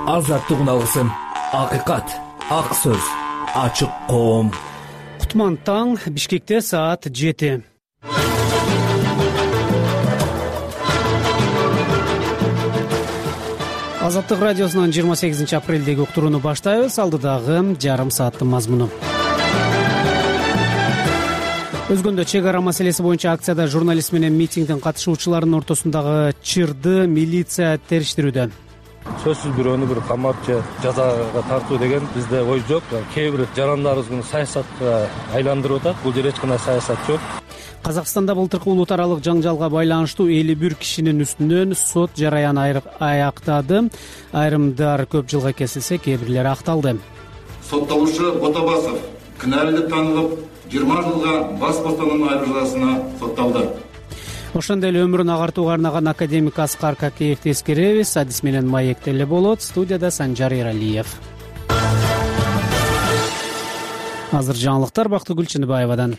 азаттык алгысым, акыйкат, ак сөз, ачык коом. Кутман таң, Бишкекте саат 7. Азаттык радиосунун 28 апрелдеги уктурууну баштайбыз. Алдыдагы жарым сааттын мазмуну. Өзгөндө чек ара маселеси боюнча акцияда журналист менен митингдин катышуучуларынын ортосундагы чырды милиция териштирүүдө. Сөзсүз бирөөнү бир камап же жазага тартуу деген бизде ой жок. Кээ бир жарандарыбыз муну саясатка айландырып атат. Бул жерде эч кандай саясат жок. Казакстанда былтыркы улут аралык жаңжалга байланыштуу 51 кишинин үстүнөн сот жараяны аяктады. Айрымдар көп жылга кесилсе, кээ бирлери акталды. Соттолуучу Ботабасов күнәлүү деп танылып, 20 жылга бас бостандыгынан айыруу жазасына сотталды. Ошондой эле өмүрүн агартууга арнаган академик Аскар Какеевди эскеребиз. Адис менен маек деле болот. Студияда Санжар Эралиев. Азыр жаңылыктар Бактыгүл Чыныбаевадан.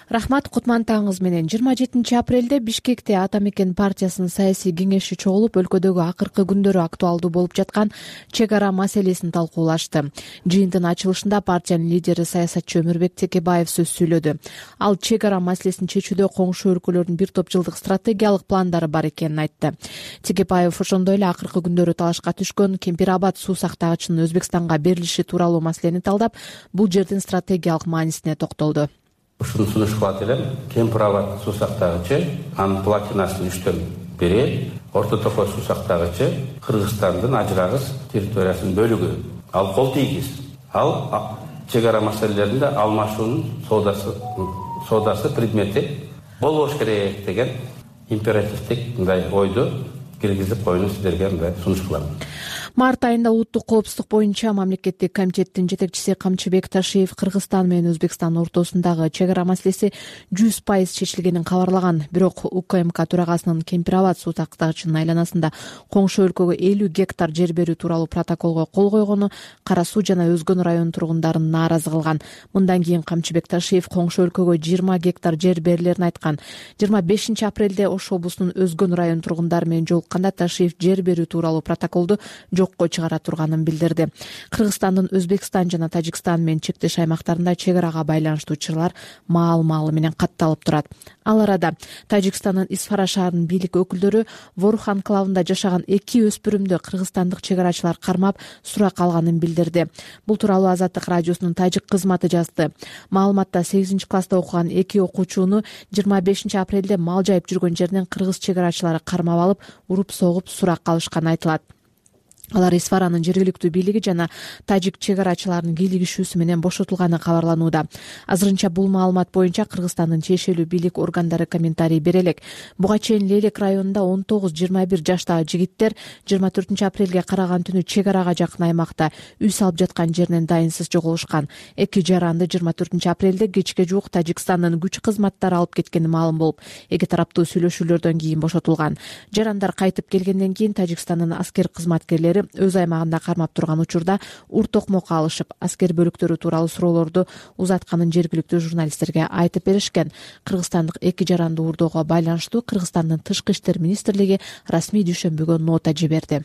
Рахмат, Кутман таңыңыз менен. 27 апрелде Бишкекте Ата Мекен партиясынын саясий кеңеши чогулуп, өлкөдөгү акыркы күндөрү актуалдуу болуп жаткан чек ара маселесин талкуулашты. Жыйынтын ачылышында партиянын лидери саясатчы Өмүрбек Текебаев сөз сүйлөдү. Ал чек ара маселесин чечүүдө коңшу өлкөлөрдүн бир топ жылдык стратегиялык пландары бар экенин айтты. Текебаев ошондой эле акыркы күндөрү талашка түшкөн Кемпир Абад суу сактагычынын Өзбекстанга берилиши тууралуу маселени талдап, бул жердин стратегиялык маанисине токтолду. Ушуну сунуш кылат элем. Кемпир Абад суу сактагычы анын платинасын 3төн бири, Орто Токой суу сактагычы Кыргызстандын ажырагыс территориясынын бөлүгү. Ал кол тийгиз. Ал чек ара маселелеринде алмашуунун соодасы предмети болбош керек деген императивдик мындай ойду киргизип коюуну сиздерге мындай сунуш кылам. Март айында улуттук коопсуздук боюнча мамлекеттик комитеттин жетекчиси Камчыбек Ташиев Кыргызстан менен Өзбекстан ортосундагы чек ара маселеси 100% чечилгенин кабарлаган. Бирок УКМК төрагасынын Кемпир Абад суу сактагычынын айланасында коңшу өлкөгө 50 гектар жер берүү тууралуу протоколго кол койгону Кара Суу жана Өзгөн район тургундарын нааразы кылган. Мындан кийин Камчыбек Ташиев коңшу өлкөгө 20 гектар жер берилерин айткан. 25 апрелде Ош облусунун Өзгөн район тургундары менен жолукканда Ташиев жер берүү тууралуу протоколду жокко чыгара турганын билдирди. Кыргызстандын Өзбекстан жана Тажикстан менен чектеш аймактарында чек арага байланыштуу чырлар маал-маалы менен катталып турат. Ал арада Тажикстандын Исфара шаарынын бийлик өкүлдөрү Ворух анклавында жашаган 2 өспүрүмдү кыргызстандык чек арачылар кармап сурак алганын билдирди. Бул тууралуу Азаттык радиосунун тажик кызматы жазды. Маалыматта 8 класста окуган 2 окуучуну 25 апрелде мал жайып жүргөн жеринен кыргыз чек арачылары кармап алып, уруп согуп сурак алышканы айтылат. Алар Исфаранын жергиликтүү бийлиги жана тажик чек арачыларынын кийлигишүүсү менен бошотулганы кабарланууда. Азырынча бул маалымат боюнча Кыргызстандын чечилүү бийлик органдары комментарий бере элек. Буга чейин Лелек районунда 19-21 жаштагы жигиттер 24 апрелге караган түнү чек арага жакын аймакта үй салып жаткан жеринен дайынсыз жоголушкан. Эки жаранды 24 апрелде кечке жуук Тажикстандын күч кызматтары алып кеткени маалым болуп, эки тараптуу сүйлөшүүлөрдөн кийин бошотулган. Жарандар кайтып келгенден кийин Тажикстандын аскер кызматкерлери өз аймагында кармап турган учурда ур-токмокко алышып, аскер бөлүктөрү тууралуу суроолорду узатканын жергиликтүү журналисттерге айтып беришкен. Кыргызстандык эки жаранды уурдоого байланыштуу Кыргызстандын Тышкы иштер министрлиги расмий дүйшөмбүгө нота жиберди.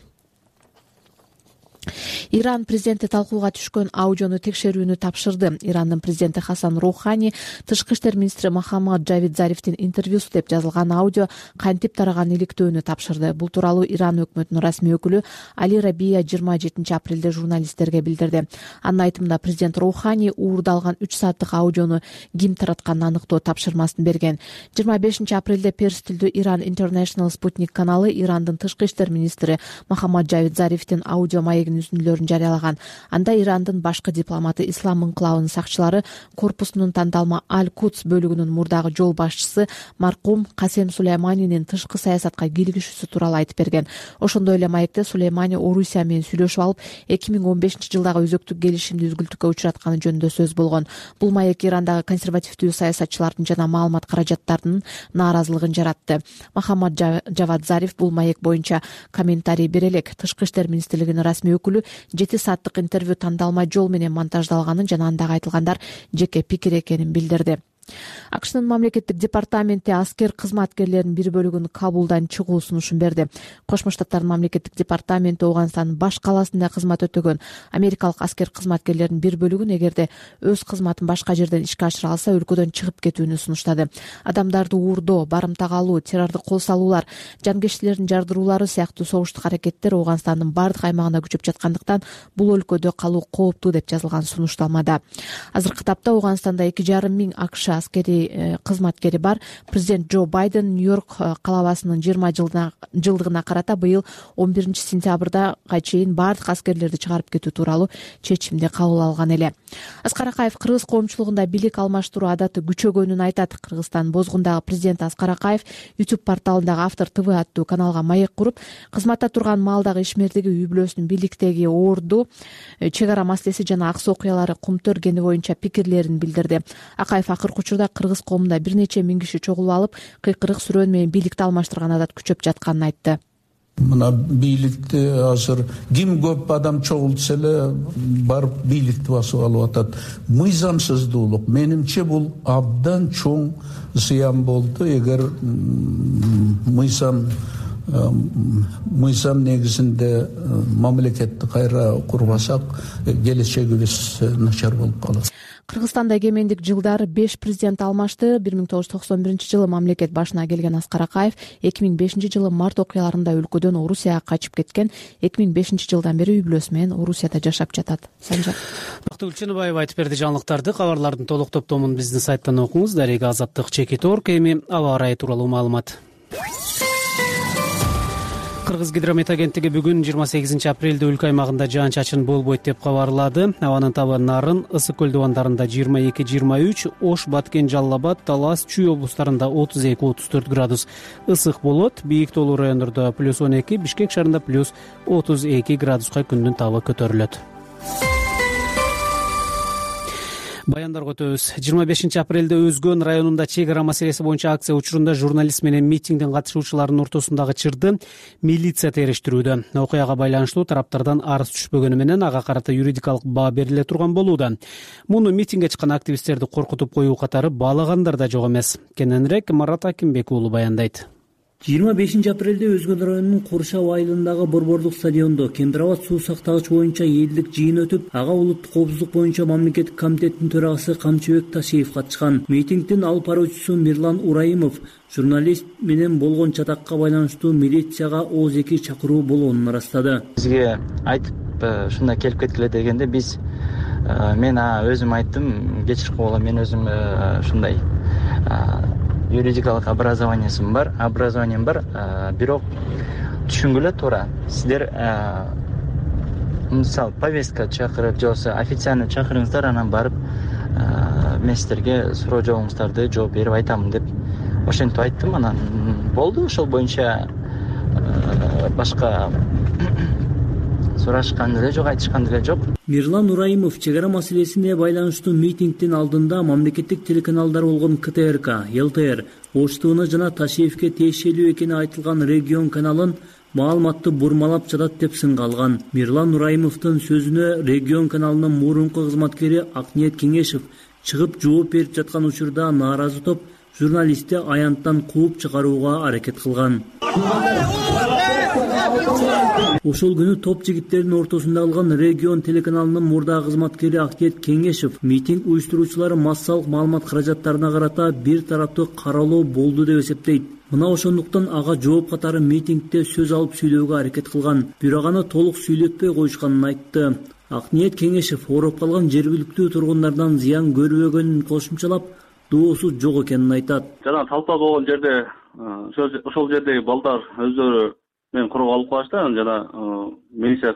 Иран президенти талкууга түшкөн аудиону текшерүүнү тапшырды. Ирандын президенти Хасан Роухани тышкы иштер министри Мохаммад Джавид Зарифтин интервьюсу деп жазылган аудио кантип тараган иликтөөнү тапшырды. Бул тууралуу Иран өкмөтүнүн расмий өкүлү Али Рабия 27 апрелде журналисттерге билдирди. Анын айтымында президент Роухани уурдалган 3 сааттык аудиону ким таратканын аныктоо тапшырмасын берген. 25 апрелде перс тилдүү Иран International Sputnik каналы Ирандын тышкы иштер министри Мохаммад Джавид Зарифтин аудио маегинин үзүндүлөрүн жарыялаган. Анда Ирандын башкы дипломаты Ислам инкылабынын сакчылары корпусунун тандалма Аль-Кудс бөлүгүнүн мурдагы жол башчысы маркум Касем Сулейманинин тышкы саясатка кийлигишүүсү тууралуу айтып берген. Ошондой эле маекте Сулеймани Орусия менен сүйлөшүп алып, 2015 жылдагы өзөктүк келишимди үзгүлтүккө учуратканы жөнүндө сөз болгон. Бул маек Ирандагы консервативдүү саясатчылардын жана маалымат каражаттарынын нааразылыгын жаратты. Мохаммад Джавад Зариф бул маек боюнча комментарий бере элек. Тышкы иштер министрлигинин расмий өкүлү 7 сааттык интервью тандалма жол менен монтаждалганын жана андагы айтылгандар жеке пикир экенин билдирди. АКШнын мамлекеттик департаменти аскер кызматкерлеринин бир бөлүгүн Кабулдан чыгуу сунушун берди. Кошмо Штаттардын мамлекеттик департаменти Ооганстандын баш калаасында кызмат өтөгөн америкалык аскер кызматкерлеринин бир бөлүгүн эгерде өз кызматын башка жерден ишке ашыра алса өлкөдөн чыгып кетүүнү сунуштады. Адамдарды уурдоо, барымтага алуу, террордук кол салуулар, жанкечтилердин жардыруулары сыяктуу согуштук аракеттер Ооганстандын бардык аймагында күчөп жаткандыктан бул өлкөдө калуу кооптуу деп жазылган сунушталмада. Азыркы тапта Ооганстанда 2,5 миң АКШ аскери кызматкери бар. Президент Джо Байден Нью-Йорк калабасынын 20 жылдыгына карата быйыл 11 сентябрда чейин бардык аскерлерди чыгарып кетүү тууралуу чечимди кабыл алган эле. Аскар Акаев кыргыз коомчулугунда бийлик алмаштыруу адаты күчөгөнүн айтат. Кыргызстан бозгундагы президент Аскар Акаев YouTube порталындагы Автор ТВ аттуу каналга маек куруп, кызматта турган маалдагы ишмердиги, үй бүлөсүнүн бийликтеги орду, чек ара маселеси жана аксы окуялары кумту өргени боюнча пикирлерин билдирди. Акаев акыркы учурда кыргыз коомунда бир нече миң киши чогулуп алып, кыйкырык сүрөөн менен бийликти алмаштырган адат күчөп жатканын айтты. Мына бийликти азыр ким көп адам чогултса эле барып бийликти басып алып атат. Мыйзамсыздуулук менимче бул абдан чоң зыян болду. Эгер мыйзам негизинде мамлекетти кайра курбасак, келечегибиз начар болуп калат. Кыргызстанда эгемендик жылдары 5 президент алмашты. 1991 мамлекет башына келген Аскар Акаев 2005 жылы март окуяларында өлкөдөн Орусияга качып кеткен. 2005 жылдан бери үй бүлөсү менен Орусияда жашап жатат. Санжар Бактыгүл Чыныбаева айтып берди жаңылыктарды. Кабарлардын толук топтомун биздин сайттан окуңуз. Дарега Азаттык Чекит.орг. Эми аба ырайы тууралуу маалымат. Кыргыз гидромет агенттиги бүгүн 28 апрелде өлкө аймагында жаан-чачын болбойт деп кабарлады. Абанын табы Нарын, Ысык көл дубандарында 22-23, Ош, Баткен, Жалал Абад, Талас, Чүй облустарында 32-34 градус ысык болот. Бийик тоолуу райондордо +12, Бишкек шаарында +32 градуска күндүн табы көтөрүлөт. Баяндарга өтөбүз. 25 апрелде Өзгөн районунда чек ара маселеси боюнча акция учурунда журналист менен митингдин катышуучуларынын ортосундагы чырды милиция териштирүүдө. Окуяга байланыштуу тараптардан арыз түшпөгөнү менен ага карата юридикалык баа бериле турган болууда. Муну митингге чыккан активисттерди коркутуп коюу катары баалагандар да жок эмес. Кененирээк Марат Акимбек уулу баяндайт. 25 апрелде Өзгөн районунун Куршап айылындагы борбордук стадиондо Кембирабад суу сактагыч боюнча элдик жыйын өтүп, ага улуттук коопсуздук боюнча мамлекеттик комитеттин төрагасы Камчыбек Ташиев катышкан. Митингдин алып баруучусу Мирлан Ураимов журналист менен болгон чатакка байланыштуу милицияга ооз-2 чакыруу болгонун ырастады. Бизге айтып ушундай келип кеткиле дегенде мен өзүм айттым, кечирip койгула, мен өзүм ушундай юридикалык образованием бар, бирок түшүнгүлө туура. Сиздер мисалы повестка чакырып, же болбосо официально чакырыңыздар, анан барып мен сиздерге суроо жообуңуздарды жооп берип айтамын деп ошентип айттым. Анан болду, ошол боюнча башка сурашкан деле жок, айтышкан деле жок. Мирлан Ураимов чек ара маселесине байланыштуу митингдин алдында мамлекеттик телеканалдар болгон КТРК, ЛТР, Ош ТВ жана Ташиевке тиешелүү экени айтылган Регион каналын маалыматты бурмалап жатат деп сынга алган. Мирлан Ураимовдун сөзүнө Регион каналынын мурунку кызматкери Акниет Кеңешев чыгып жооп берип жаткан учурда нааразы топ журналистти аянттан кууп чыгарууга аракет кылган. Ошол күнү топ жигиттердин ортосунда калган Регион телеканалынын мурдагы кызматкери Акниет Кеңешев митинг уюштуруучулары массалык маалымат каражаттарына карата бир тараптуу каралоо болду деп эсептейт. Мына ошондуктан ага жооп катары митингде сөз алып сүйлөөгө аракет кылган, бирок аны толук сүйлөтпөй коюшканын айтты. Акниет Кеңешев ооруп калган жергиликтүү тургундардан зыян көрбөгөнүн кошумчалап, доосу жок экенин айтат. Жана талпа болгон жерде ошол жердеги балдар өздөрү мен курууга алып калышты, жана милиция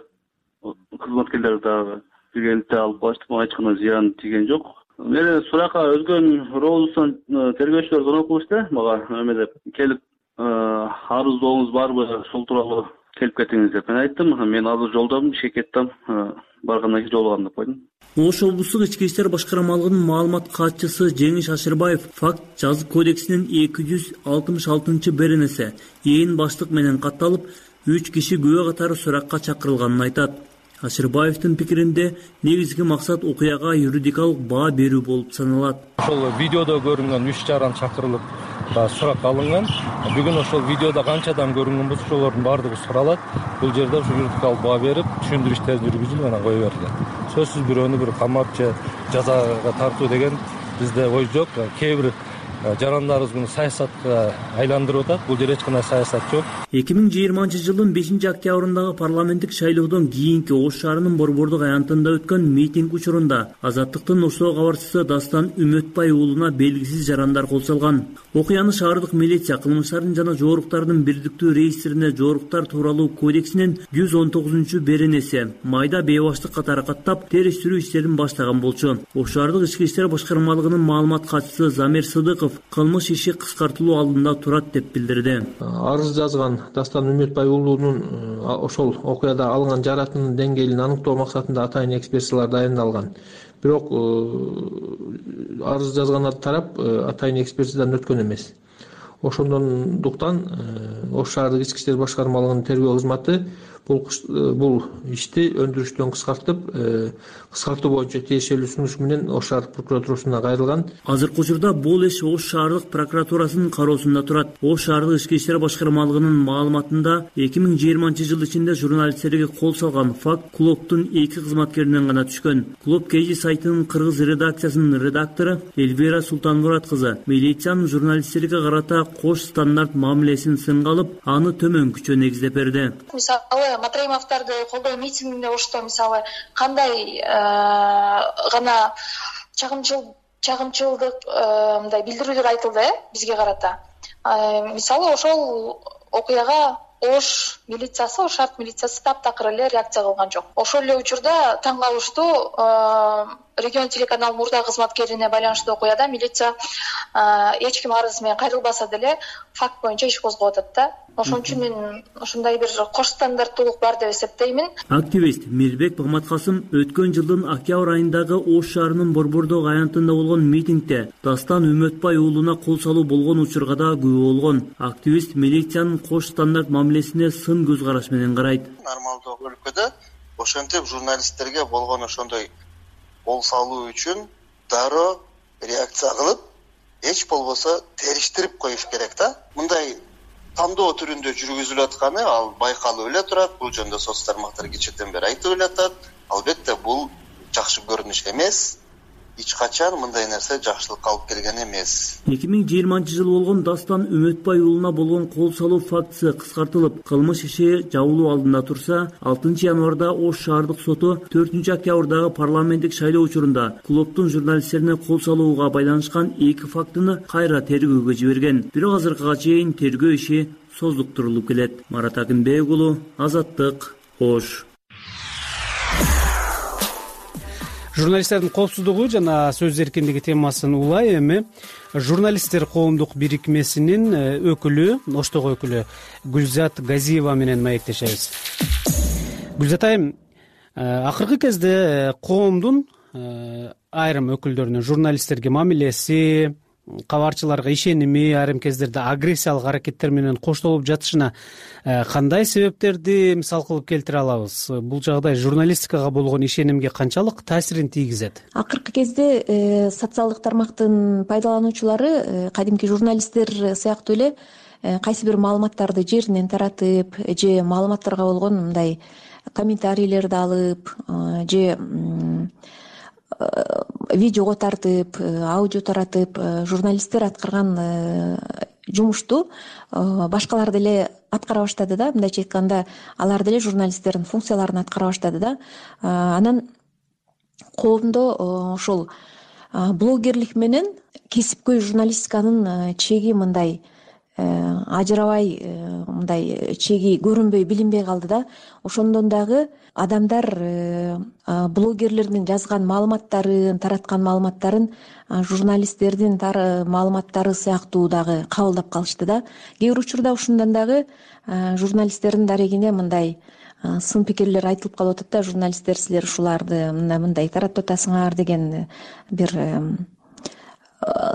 кызматкерлери дагы биргеликте алып калышты. Мага эч кандай зыян тийген жок. Мени суракка Өзгөн роосунан тергөөчүлөр звонок кылышты мага, деп келип арыздооңуз барбы, ошол тууралуу келип кетиңиз деп. Мен айттым, мен азыр жолдомун, ишке кеттим, баргандан кийин жолугам деп койдум. Ош облустук ички иштер башкармалыгынын маалымат катчысы Жеңиш Ашырбаев факт жазык кодексинин 266-беренеси ээн баштык менен катталып, 3 киши күбө катары суракка чакырылганын айтат. Ашырбаевдин пикиринде негизги максат окуяга юридикалык баа берүү болуп саналат. Ошол видеодо көрүнгөн 3 жаран чакырылып сурак алынган. Бүгүн ошол видеодо канча адам көрүнгөн болсо ошолордун баардыгы суралат. Бул жерде ушу юридикалык баа берип, түшүндүрүү иштерин жүргүзүп анан кое берилет. Сөзсүз бирөөнү бир камап же жазага тартуу деген бизде ой жок. Кээ бир жарандарыбыз муну саясатка айландырып атат. Бул жерде эч кандай саясат жок. 2020-жылдын 5-октябрындагы парламенттик шайлоодон кийинки Ош шаарынын Борбордук аянтында өткөн митинг учурунда Азаттыктын Оштогу кабарчысы Дастан Үмөтбай уулуна белгисиз жарандар кол салган. Окуяны шаардык милиция кылмыштардын жана жооруктардын бирдиктүү реестрине Жооруктар тууралуу кодексинин 119-беренеси майда бейбаштык катары каттап териштирүү иштерин баштаган болчу. Ош шаардык ички иштер башкармалыгынын маалымат катчысы Замир Сыдыков кылмыш иши кыскартылуу алдында турат деп билдирди. Арыз жазган Дастан Үмөтбай уулунун ошол окуяда алынган жаракаттын деңгээлин аныктоо максатында атайын экспертизалар дайындалган. Бирок арыз жазган тарап атайын экспертизадан өткөн эмес. Ошондуктан Ош шаардык ички иштер башкармалыгынын тергөө кызматы бул ишти өндүрүштөн кыскартуу боюнча тиешелүү сунуш менен Ош шаардык прокуратурасына кайрылган. Азыркы учурда бул иш Ош шаардык прокуратурасынын кароосунда турат. Ош шаардык ички иштер башкармалыгынын маалыматында 2020-жыл ичинде журналисттерге кол салган факт клубдун 2 кызматкеринен гана түшкөн. Клуб Кежи сайтынын кыргыз редакциясынын редактору Эльвира Султанмурат кызы милициянын журналисттерге карата кош стандарт мамилесин сынга алып, аны төмөнкүчө негиздеп берди. Мисалы, Матраимовдорду колдоо митингинде Ошто мисалы кандай гана чагымчылдык мындай билдирүүлөр айтылды бизге карата. Мисалы, ошол окуяга Ош милициясы, Ош шаард милициясы таптакыр эле реакция кылган жок. Ошол эле учурда таң калыштуу регион телеканал мурда кызматкерине байланыштуу окуяда милиция эч ким арыз менен кайрылбаса деле факт боюнча иш козгоп атат да. Ошон үчүн мен ушундай бир кош стандарттуулук бар деп эсептеймин. Активист Мирбек Магматкасым өткөн жылдын октябрь айындагы Ош шаарынын Борбордук аянтында болгон митингде Дастан Үмөтбай уулуна кол салуу болгон учурга да күбө болгон. Активист милициянын кош стандарт мамилесине сын көз караш менен карайт. Нормалдуу өлкөдө ошентип журналисттерге болгон ошондой кол салуу үчүн дароо реакция кылып, эч болбосо териштирип коюш керек да. Мындай тандоо түрүндө жүргүзүлүп атканы ал байкалып эле турат. Бул жөнүндө соц тармактар кечээден бери айтып эле атат. Албетте бул жакшы көрүнүш эмес. Эч качан мындай нерсе жакшылыкка алып келген эмес. 2020-жыл болгон Дастан Үмөтбай уулуна болгон кол салуу фактысы кыскартылып, кылмыш иши жабылуу алдында турса, 6 январда Ош шаардык соту 4-октябрдагы парламенттик шайлоо учурунда клубдун журналисттерине кол салууга байланышкан 2 фактыны кайра тергөөгө жиберген. Бирок азыркыга чейин тергөө иши создуктурулуп келет. Марат Акынбек уулу, Азаттык, Ош. Журналисттердин коопсуздугу жана сөз эркиндиги темасын улай эми журналисттер коомдук бирикмесинин өкүлү, Оштогу өкүлү Гүлзат Газиева менен маектешебиз. Гүлзат айым, акыркы кезде коомдун айрым өкүлдөрүнүн журналисттерге мамилеси, кабарчыларга ишеними айрым кездерде агрессиялык аракеттер менен коштолуп жатышына кандай себептерди мисал кылып келтире алабыз? Бул жагдай журналистикага болгон ишенимге канчалык таасирин тийгизет? Акыркы кезде социалдык тармактын пайдалануучулары кадимки журналисттер сыяктуу эле кайсы бир маалыматтарды жеринен таратып же маалыматтарга болгон мындай комментарийлерди алып же видеого тартып, аудио таратып, журналисттер аткарган жумушту башкалар деле аткара баштады да. Мындайча айтканда, алар деле журналисттердин функцияларын аткара баштады да. Анан коомдо ошол блогерлик менен кесипкөй журналистиканын чеги мындай ажырабай, мындай чеги көрүнбөй, билинбей калды да. Ошондон дагы адамдар блогерлердин жазган маалыматтарын, тараткан маалыматтарын журналисттердин маалыматтары сыяктуу дагы кабылдап калышты да. Кээ бир учурда ушундан дагы журналисттердин дарегине мындай сын пикирлер айтылып калып атат да. Журналисттер силер ушуларды мындай таратып атасыңар деген бир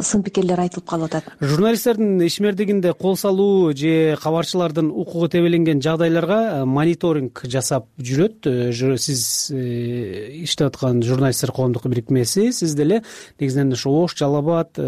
сын пикирлер айтылып калып атат. Журналисттердин ишмердигинде кол салуу же кабарчылардын укугу тебеленген жагдайларга мониторинг жасап жүрөт. Сиз иштеп аткан журналисттер коомдук бирикмеси, сиз деле негизинен ошо Ош, Жалал Абад,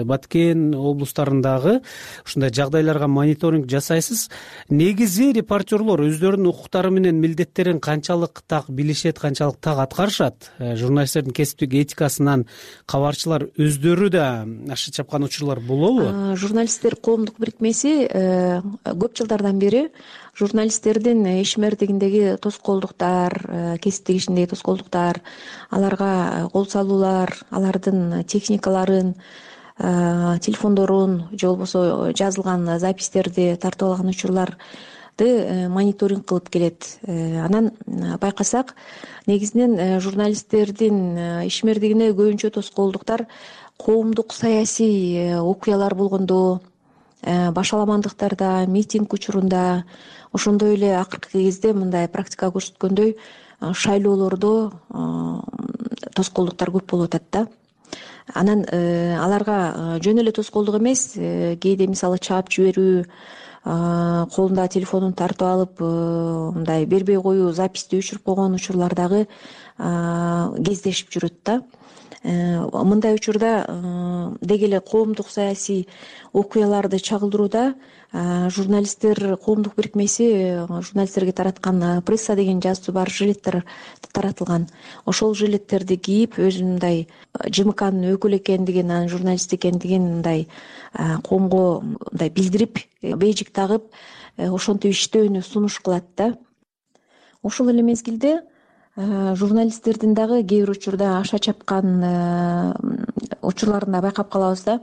Баткен облустарындагы ушундай жагдайларга мониторинг жасайсыз. Негизи репортерлор өздөрүнүн укуктары менен милдеттерин канчалык так билишет, канчалык так аткарышат? Журналисттердин кесиптик этикасынан кабарчылар өздөрү аша чапкан учурлар болобу? Журналисттер коомдук бирикмеси көп жылдардан бери журналисттердин ишмердигиндеги тоскоолдуктар, кесиптик ишиндеги тоскоолдуктар, аларга кол салуулар, алардын техникаларын, телефондорун же болбосо жазылган запистерди тартып алган учурларды мониторинг кылып келет. Анан байкасак, негизинен журналисттердин ишмердигине көбүнчө тоскоолдуктар коомдук саясий окуялар болгондо, башаламандыктарда, митинг учурунда, ошондой эле акыркы кезде мындай практика көрсөткөндөй шайлоолордо тоскоолдуктар көп болуп атат да. Анан аларга жөн эле тоскоолдук эмес, кээде мисалы чаап жиберүү, колунда телефонун тартып алып мындай бербей коюу, записти өчүрүп койгон учурлар дагы кездешип жүрөт да. Мындай учурда деги эле коомдук саясий окуяларды чагылдырууда журналисттер коомдук бирикмеси журналисттерге тараткан пресса деген жазуусу бар жилеттер таратылган. Ошол жилеттерди кийип, өзүнүн мындай ЖМКнын өкүлү экендигин, анын журналист экендигин мындай коомго мындай билдирип, бейжик тагып, ошентип иштөөнү сунуш кылат да. Ошол эле мезгилде журналисттердин дагы кээ бир учурда аша чапкан учурларында байкап калабыз да.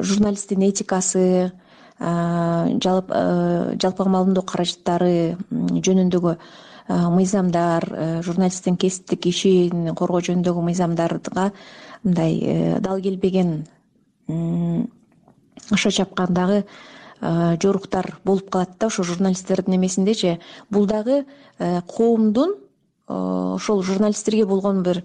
Журналисттин этикасы, жалпыга маалымдоо каражаттары жөнүндөгү мыйзамдар, журналисттин кесиптик ишин коргоо жөнүндөгү мыйзамдарга мындай дал келбеген, аша чапкан дагы жоруктар болуп калат да. Ошо журналисттердин эмесиндечи бул дагы коомдун ошол журналисттерге болгон бир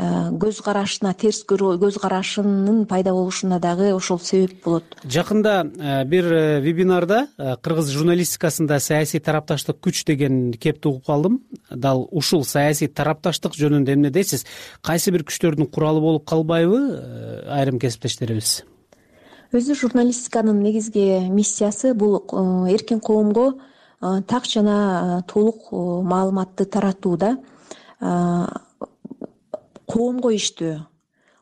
көз карашына, терс көз карашынын пайда болушуна дагы ошол себеп болот. Жакында бир вебинарда кыргыз журналистикасында саясий тарапташтык күч деген кепти угуп калдым. Дал ушул саясий тарапташтык жөнүндө эмне дейсиз? Кайсы бир күчтөрдүн куралы болуп калбайбы айрым кесиптештерибиз? Өзү журналистиканын негизги миссиясы бул эркин коомго так жана толук маалыматты таратуу да. Коомго иштөө,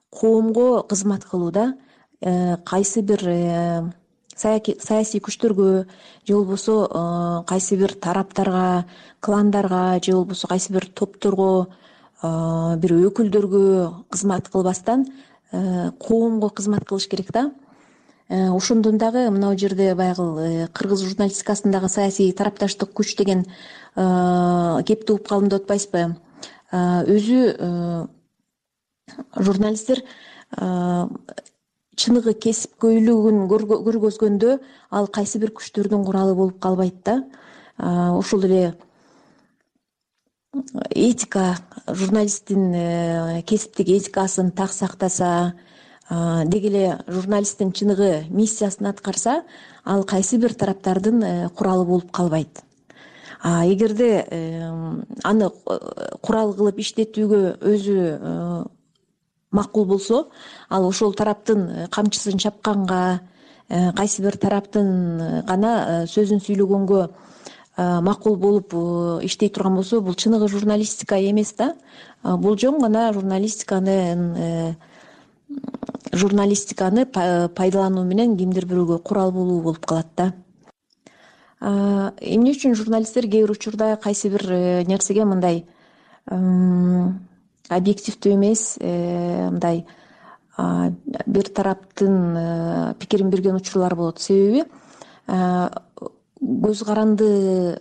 коомго кызмат кылууда кайсы бир саясий күчтөргө же болбосо кайсы бир тараптарга, кландарга же болбосо кайсы бир топторго, бир өкүлдөргө кызмат кылбастан коомго кызмат кылыш керек да. Ошондон дагы мына жерде баягы кыргыз журналистикасындагы саясий тарапташтык күч деген кепти угуп калдым деп атпайсызбы? Өзү журналисттер чыныгы кесипкөйлүгүн көргөзгөндө ал кайсы бир күчтөрдүн куралы болуп калбайт да. Ошол эле этика, журналисттин кесиптик этикасын так сактаса, деги эле журналисттин чыныгы миссиясын аткарса, ал кайсы бир тараптардын куралы болуп калбайт. Эгерде аны курал кылып иштетүүгө өзү макул болсо, ал ошол тараптын камчысын чапканга, кайсы бир тараптын гана сөзүн сүйлөгөнгө макул болуп иштей турган болсо, бул чыныгы журналистика эмес да. Бул жөн гана журналистиканы пайдалануу менен кимдир бирөөгө курал болуу болуп калат да. Эмне үчүн журналисттер кээ бир учурда кайсы бир нерсеге мындай объективдүү эмес, мындай бир тараптын пикирин берген учурлар болот. Себеби көз каранды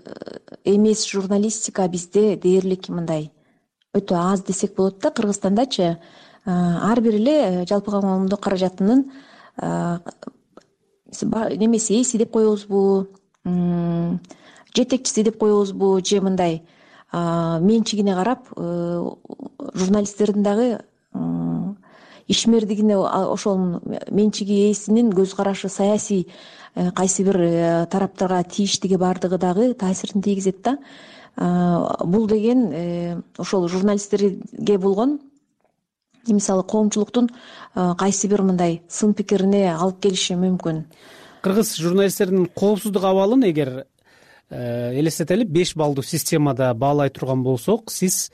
эмес журналистика бизде дээрлик мындай өтө аз десек болот да. Кыргызстандачы ар бир эле жалпыга маалымдоо каражатынын немеси эси деп коебузбу, жетекчиси деп коебузбу, же мындай менчигине карап журналисттердин дагы ишмердигине ошол менчиги ээсинин көз карашы саясий кайсы бир тараптарга тийиштиги баардыгы дагы таасирин тийгизет да. Бул деген ошол журналисттерге болгон мисалы коомчулуктун кайсы бир мындай сын пикирине алып келиши мүмкүн. Кыргыз журналисттердин коопсуздук абалын эгер элестетели 5 баллдуу системада баалай турган болсок, сиз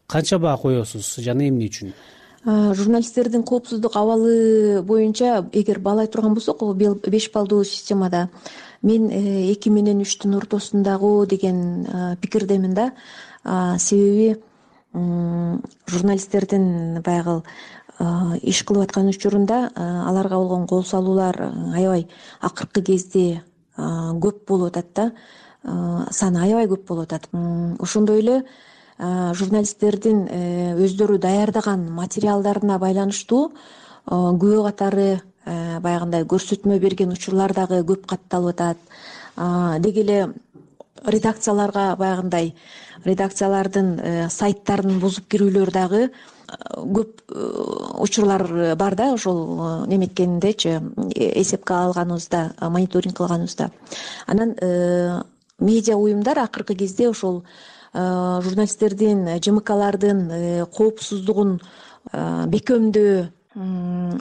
канча баа коесуз жана эмне үчүн? Журналисттердин коопсуздук абалы боюнча эгер баалай турган болсок, 5 баллдуу системада мен 2 менен 3түн ортосундагы деген пикирдемин да. Себеби журналисттердин баягы иш кылып аткан учурунда аларга болгон кол салуулар аябай акыркы кезде көп болуп атат да. Саны аябай көп болуп атат. Ошондой эле журналисттердин өздөрү даярдаган материалдарына байланыштуу күбө катары баягындай көрсөтмө берген учурлар дагы көп катталып атат. Деги эле редакцияларга баягындай редакциялардын сайттарын бузуп кирүүлөр дагы көп учурлар бар да. Ошол неметкендечи эсепке алганыбызда, мониторинг кылганыбызда. Анан медиа уюмдар акыркы кезде ошол журналисттердин, ЖМКлардын коопсуздугун бекемдөө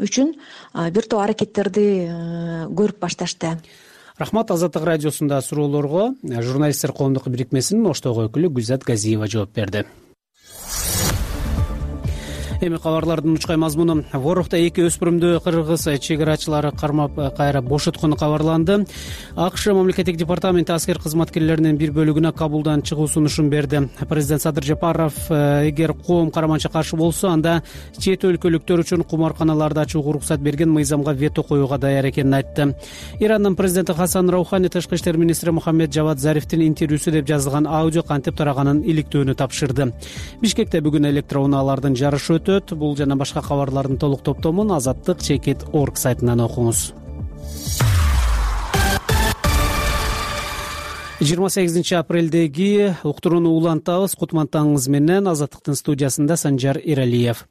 үчүн бир топ аракеттерди көрүп башташты. Рахмат. Азаттык радиосунда суроолорго журналисттер коомдук бирикмесинин Оштогу өкүлү Гүлзат Газиева жооп берди. Эми кабарлардын учкай мазмуну. Ворохто 2 өспүрүмдү кыргыз чек-арачылары кармап кайра бошоткону кабарланды. АКШ мамлекеттик департаменти аскер кызматкерлеринин бир бөлүгүнө Кабулдан чыгуу сунушун берди. Президент Садыр Жапаров эгер коом караманча каршы болсо, анда чет өлкөлүктөр үчүн кумарканаларды ачууга уруксат берген мыйзамга вето коюуга даяр экенин айтты. Ирандын президенти Хасан Раухани тышкы иштер министри Мухаммед Жавад Зарифтин интервьюсу деп жазылган аудио кантип тараганын иликтөөнү тапшырды. Бишкекте бүгүн электроунаалардын жарышы өтөт. Бул жана башка кабарлардын толук топтомун azattik.org сайтынан окуңуз. 28 апрелдеги уктурууну улантабыз. Кутмантаңыз менен Азаттыктын студиясында Санжар Иралиев.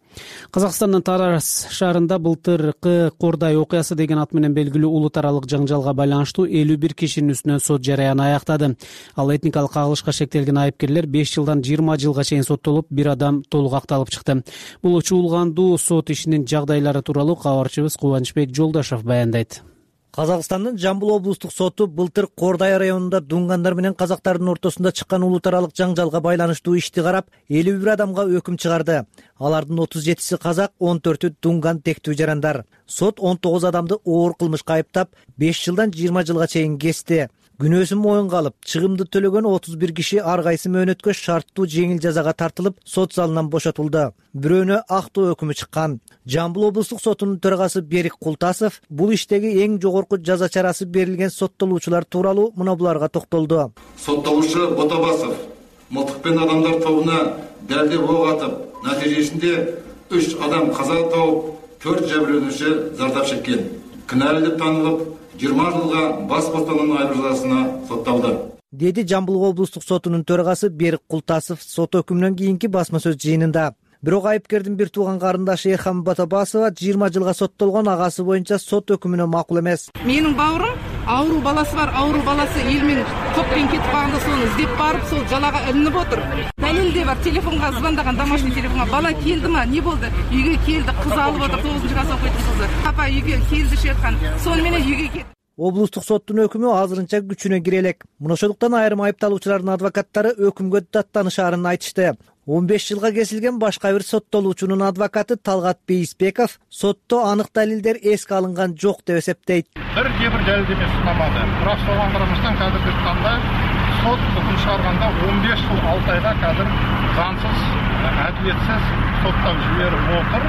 Казакстандын Тарас шаарында былтыркы Кордай окуясы деген ат менен белгилүү улут аралык жаңжалга байланыштуу 51 кишинин үстүнөн сот жарыяны аяктады. Ал этникалык кагылышка шектелген айыпкерлер 5 жылдан 20 жылга чейин соттолуп, бир адам толук акталып чыкты. Бул чуулгандуу сот ишинин жагдайлары тууралуу кабарчыбыз Кубанычбек Жолдошов баяндайт. Казакстандын Жамбыл облустук соту былтыр Кордай районунда дунгандар менен казактардын ортосунда чыккан улут аралык жаңжалга байланыштуу ишти карап 51 адамга өкүм чыгарды. Алардын 37си казак, 14-ү дунган тектүү жарандар. Сот 19 адамды оор кылмышка айыптап, 5 жылдан 20 жылга чейин кести. Күнөөсүн моюнга алып, чыгымды төлөгөн 31 киши ар кайсы мөөнөткө шарттуу жеңил жазага тартылып, сот залынан бошотулду. Бирөөнө актоо өкүмү чыккан. Жамбыл облустук сотунун төрагасы Берик Култасов бул иштеги эң жогорку жаза чарасы берилген соттолуучулар тууралуу мына буларга токтолду. Соттолуучу Ботабасов мылтыкпен адамдар тобуна далдеп ок атып, натыйжасында 3 адам каза тауып, 4 жабырлануучу зардап чеккен. Күнәлүү деп танылып, 20 жылга бас бостандыгынан айыруу жазасына сотталды. Деди Жамбыл облустук сотунун төрагасы Берик Култасов сот өкүмүнөн кийинки басма сөз жыйынында. Бирок айыпкердин бир тууган карындашы Эрхан Ботабасова 20 жылга соттолгон агасы боюнча сот өкүмүнө макул эмес. Менин бауырым ауру баласы бар, ауру баласы эл менен топпен кетип калганда сону издеп барып, сол жалага илинип отур. Далилде бар, телефонго звондаган, домашний телефонго бала келдима, не болду? Үйгө келди, кыз алып отур, 9-класс окуйтун кызы. Папа үйгө келди деп айткан. Сону менен үйгө келди. Облустук соттун өкүмү азырынча күчүнө кире элек. Мына ошондуктан айрым айыпталуучулардын адвокаттары өкүмгө даттанышаарын айтышты. 15 жылга кесилген башка бир соттолуучунун адвокаты Талгат Бейисбеков сотто анык далилдер эске алынган жок деп эсептейт. Бир далилдеме сунамады. Бирок соған карамастан қазіргі таңда сот үкүм чыгарганда 15 жыл 6 айга қазір заңсыз, әдилетсиз соттап жиберип отур.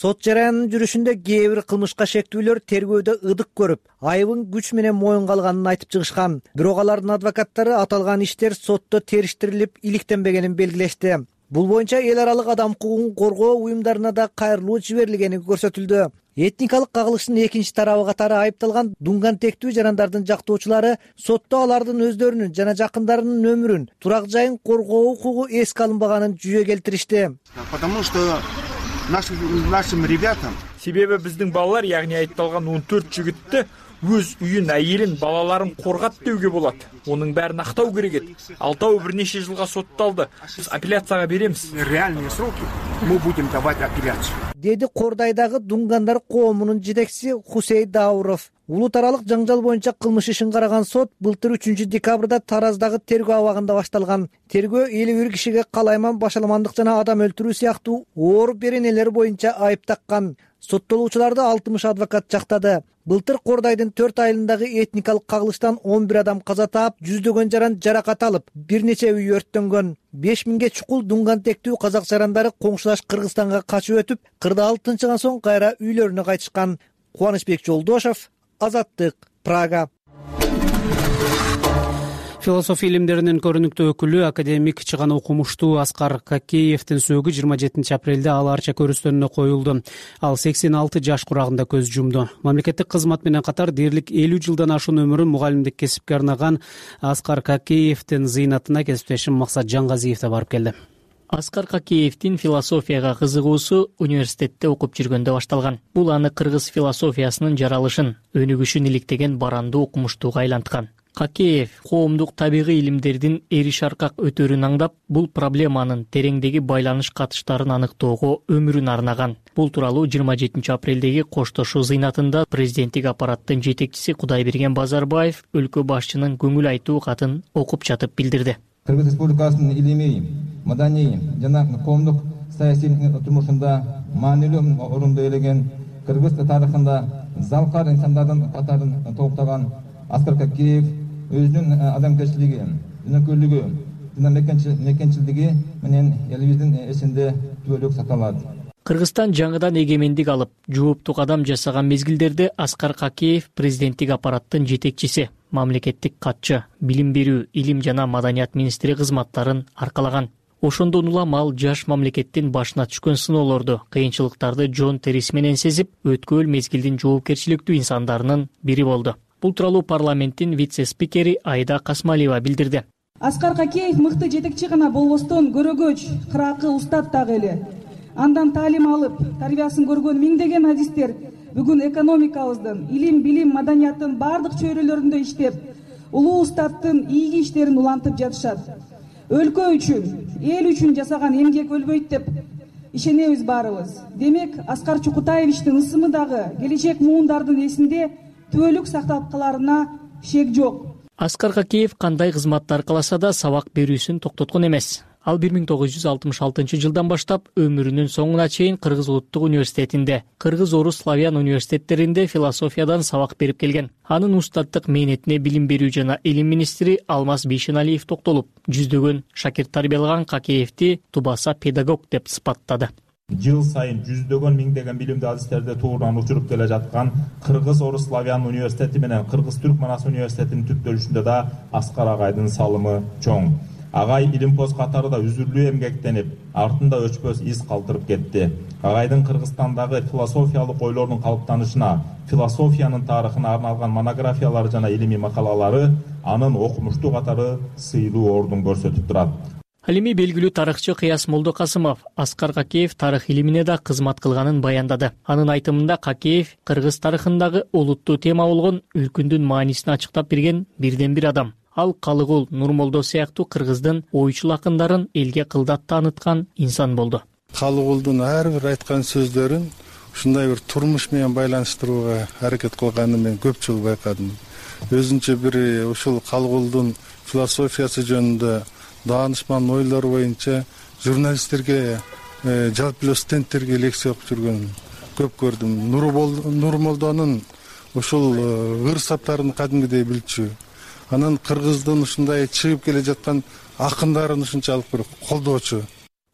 Сот жараянынын жүрүшүндө кээ бир кылмышка шектүүлөр тергөөдө ыдык көрүп, айыбын күч менен моюнга алганын айтып чыгышкан. Бирок алардын адвокаттары аталган иштер сотто териштирилип, иликтенбегенин белгилешти. Бул боюнча эл аралык адам укугун коргоо уюмдарына да кайрылуу жиберилгени көрсөтүлдү. Этникалык кагылыштын экинчи тарабы катары айыпталган дунган тектүү жарандардын жактоочулары сотто алардын өздөрүнүн жана жакындарынын өмүрүн, турак жайын коргоо укугу эске алынбаганын жүйө келтиришти. Потому что нашим ребятам. Себеби биздин балалар, ягни айтталган 14 жигитти өз үйүн, айылын, балаларын коргат деуге болот. Онун бәрин актау керек эт. Алтау бир нече жылга сотталды. Биз апелляцияга беремиз. Реальные сроки мы будем давать апелляцию. Деди Кордайдагы Дунгандар коомунун жетекчиси Хусей Дауров. Улут аралык жаңжал боюнча кылмыш ишин караган сот былтыр 3 декабрда Тараздагы тергөө абагында башталган. Тергөө 51 кишиге калайман, башаламандык жана адам өлтүрүү сыяктуу оор беренелер боюнча айып таккан. Соттолуучуларды 60 адвокат жактады. Былтыр Кордайдын 4 айылындагы этникалык кагылыштан 11 адам каза таап, жүздөгөн жаран жаракат алып, бир нече үй өрттөнгөн. 5000ге чукул дунган тектүү казак жарандары коңшулаш Кыргызстанга качып өтүп, кырдаал тынчыган соң кайра үйлөрүнө кайтышкан. Кубанычбек Жолдошов, Азаттык, Прага. Философия илимдеринин көрүнүктүү өкүлү, академик чыган окумуштуу Аскар Какеевдин сөөгү 27 апрелде Ала Арча көрүстөнүнө коюлду. Ал 86 жаш курагында көз жумду. Мамлекеттик кызмат менен катар дээрлик 50 жылдан ашуун өмүрүн мугалимдик кесипке арнаган Аскар Какеевдин зыйнатына кесиптешим Максат Жаңгазиев да барып келди. Аскар Какеевдин философияга кызыгуусу университетте окуп жүргөндө башталган. Бул аны кыргыз философиясынын жаралышын, өнүгүшүн иликтеген барандуу окумуштууга айланткан. Какеев коомдук табигый илимдердин эриш аркак өтөрүн аңдап, бул проблеманын тереңдеги байланыш катыштарын аныктоого өмүрүн арнаган. Бул тууралуу 27 апрелдеги коштошуу зыйнатында президенттик аппараттын жетекчиси Кудайберген Базарбаев өлкө башчынын көңүл айтуу катын окуп жатып билдирди. Кыргыз Республикасынын илимий, маданий жана коомдук саясий турмушунда маанилүү орунду ээлеген, кыргыз тарыхында залкар инсандардын катарын толуктаган Аскар Какеев өзүнүн адамгерчилиги, өнөкөрлүгү жана мекенчилдиги менен элибиздин эсинде түбөлүк сакталат. Кыргызстан жаңыдан эгемендик алып, жооптуу кадам жасаган мезгилдерде Аскар Какеев президенттик аппараттын жетекчиси, мамлекеттик катчы, билим берүү, илим жана маданият министри кызматтарын аркалаган. Ошондон улам ал жаш мамлекеттин башына түшкөн сыноолорду, кыйынчылыктарды жон териси менен сезип, өткөл мезгилдин жоопкерчиликтүү инсандарынын бири болду. Бул тууралуу парламенттин вице-спикери Айда Касмалиева билдирди. Аскар Какеев мыкты жетекчи гана болбостон, көрөгөч, кыракы устат дагы эле. Андан таалим алып, тарбиясын көргөн миңдеген адистер бүгүн экономикабыздын, илим, билим, маданияттын бардык чөйрөлөрүндө иштеп, улуу устаттын ийги иштерин улантып жатышат. Өлкө үчүн, эл үчүн жасаган эмгек өлбөйт деп ишенебиз баарыбыз. Демек, Аскар Чукутаевичтин ысымы дагы келечек муундардын эсинде түбөлүк сакталып каларына шек жок. Аскар Какеев кандай кызматты аркаласа да сабак берүүсүн токтоткон эмес. Ал 1966 жылдан баштап өмүрүнүн соңуна чейин Кыргыз улуттук университетинде, Кыргыз орус славян университеттеринде философиядан сабак берип келген. Анын устаттык мээнетине билим берүү жана илим министри Алмаз Бейшеналиев токтолуп, жүздөгөн шакирт тарбиялаган Какеевди тубаса педагог деп сыпаттады. Жыл сайын жүздөгөн миңдеген билимдүү адистерди тууран учуруп келе жаткан Кыргыз орус славян университети менен Кыргыз түрк манас университетинин түптөлүшүндө да Аскар агайдын салымы чоң. Агай илимпоз катарында үзүрлүү эмгектенип, артында өчпөс из калтырып кетти. Агайдын Кыргызстандагы философиялык ойлордун калыптанышына, философиянын тарыхына арналган монографиялары жана илимий макалалары анын окумуштуу катары сыйлуу ордун көрсөтүп турат. Ал эми белгилүү тарыхчы Кыяс Молдокасымов Аскар Какеев тарых илимине да кызмат кылганын баяндады. Анын айтымында Какеев кыргыз тарыхындагы олуттуу тема болгон өлкүндүн маанисин ачыктап берген бирден бир адам. Ал Калыгул, Нурмолдо сыяктуу кыргыздын ойчул акындарын элге кылдат тааныткан инсан болду. Калыгулдун ар бир айткан сөздөрүн ушундай бир турмуш менен байланыштырууга аракет кылганын мен көп жолу байкадым. Өзүнчө бир ушул Калыгулдун философиясы жөнүндө даанышман ойлор боюнча журналисттерге, жалпы эле студенттерге лекция окуп жүргөнүн көп көрдүм. Нурмолдонун ушул ыр саптарын кадимгидей билчү. Анан кыргыздын ушундай чыгып келе жаткан акындарын ушунчалык бир колдоочу.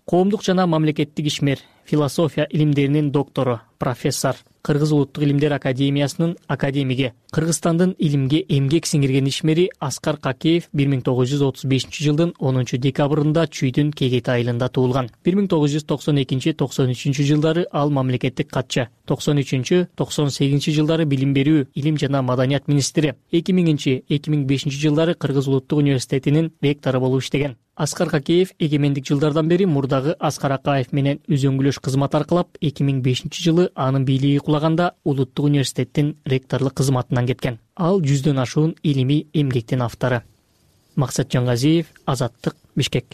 Коомдук жана мамлекеттик ишмер, философия илимдеринин доктору, профессор, Кыргыз улуттук илимдер академиясынын академиги, Кыргызстандын илимге эмгек сиңирген ишмери Аскар Какеев 1935 жылдын 10 декабрында Чүйдүн Кегет айылында туулган. 1992-93 жылдары ал мамлекеттик катчы, 93-98 жылдары билим берүү, илим жана маданият министри, 2000-2005 жылдары Кыргыз улуттук университетинин ректору болуп иштеген. Аскар Какеев эгемендик жылдардан бери мурдагы Аскар Акаев менен үзөңгүлөш кызмат аркылап 2005 жылы анын бийлиги кулаганда Улуттук университеттин ректорлук кызматынан кеткен. Ал 100дөн ашуун илимий эмгектин автору. Максат Жангазиев, Азаттык, Бишкек.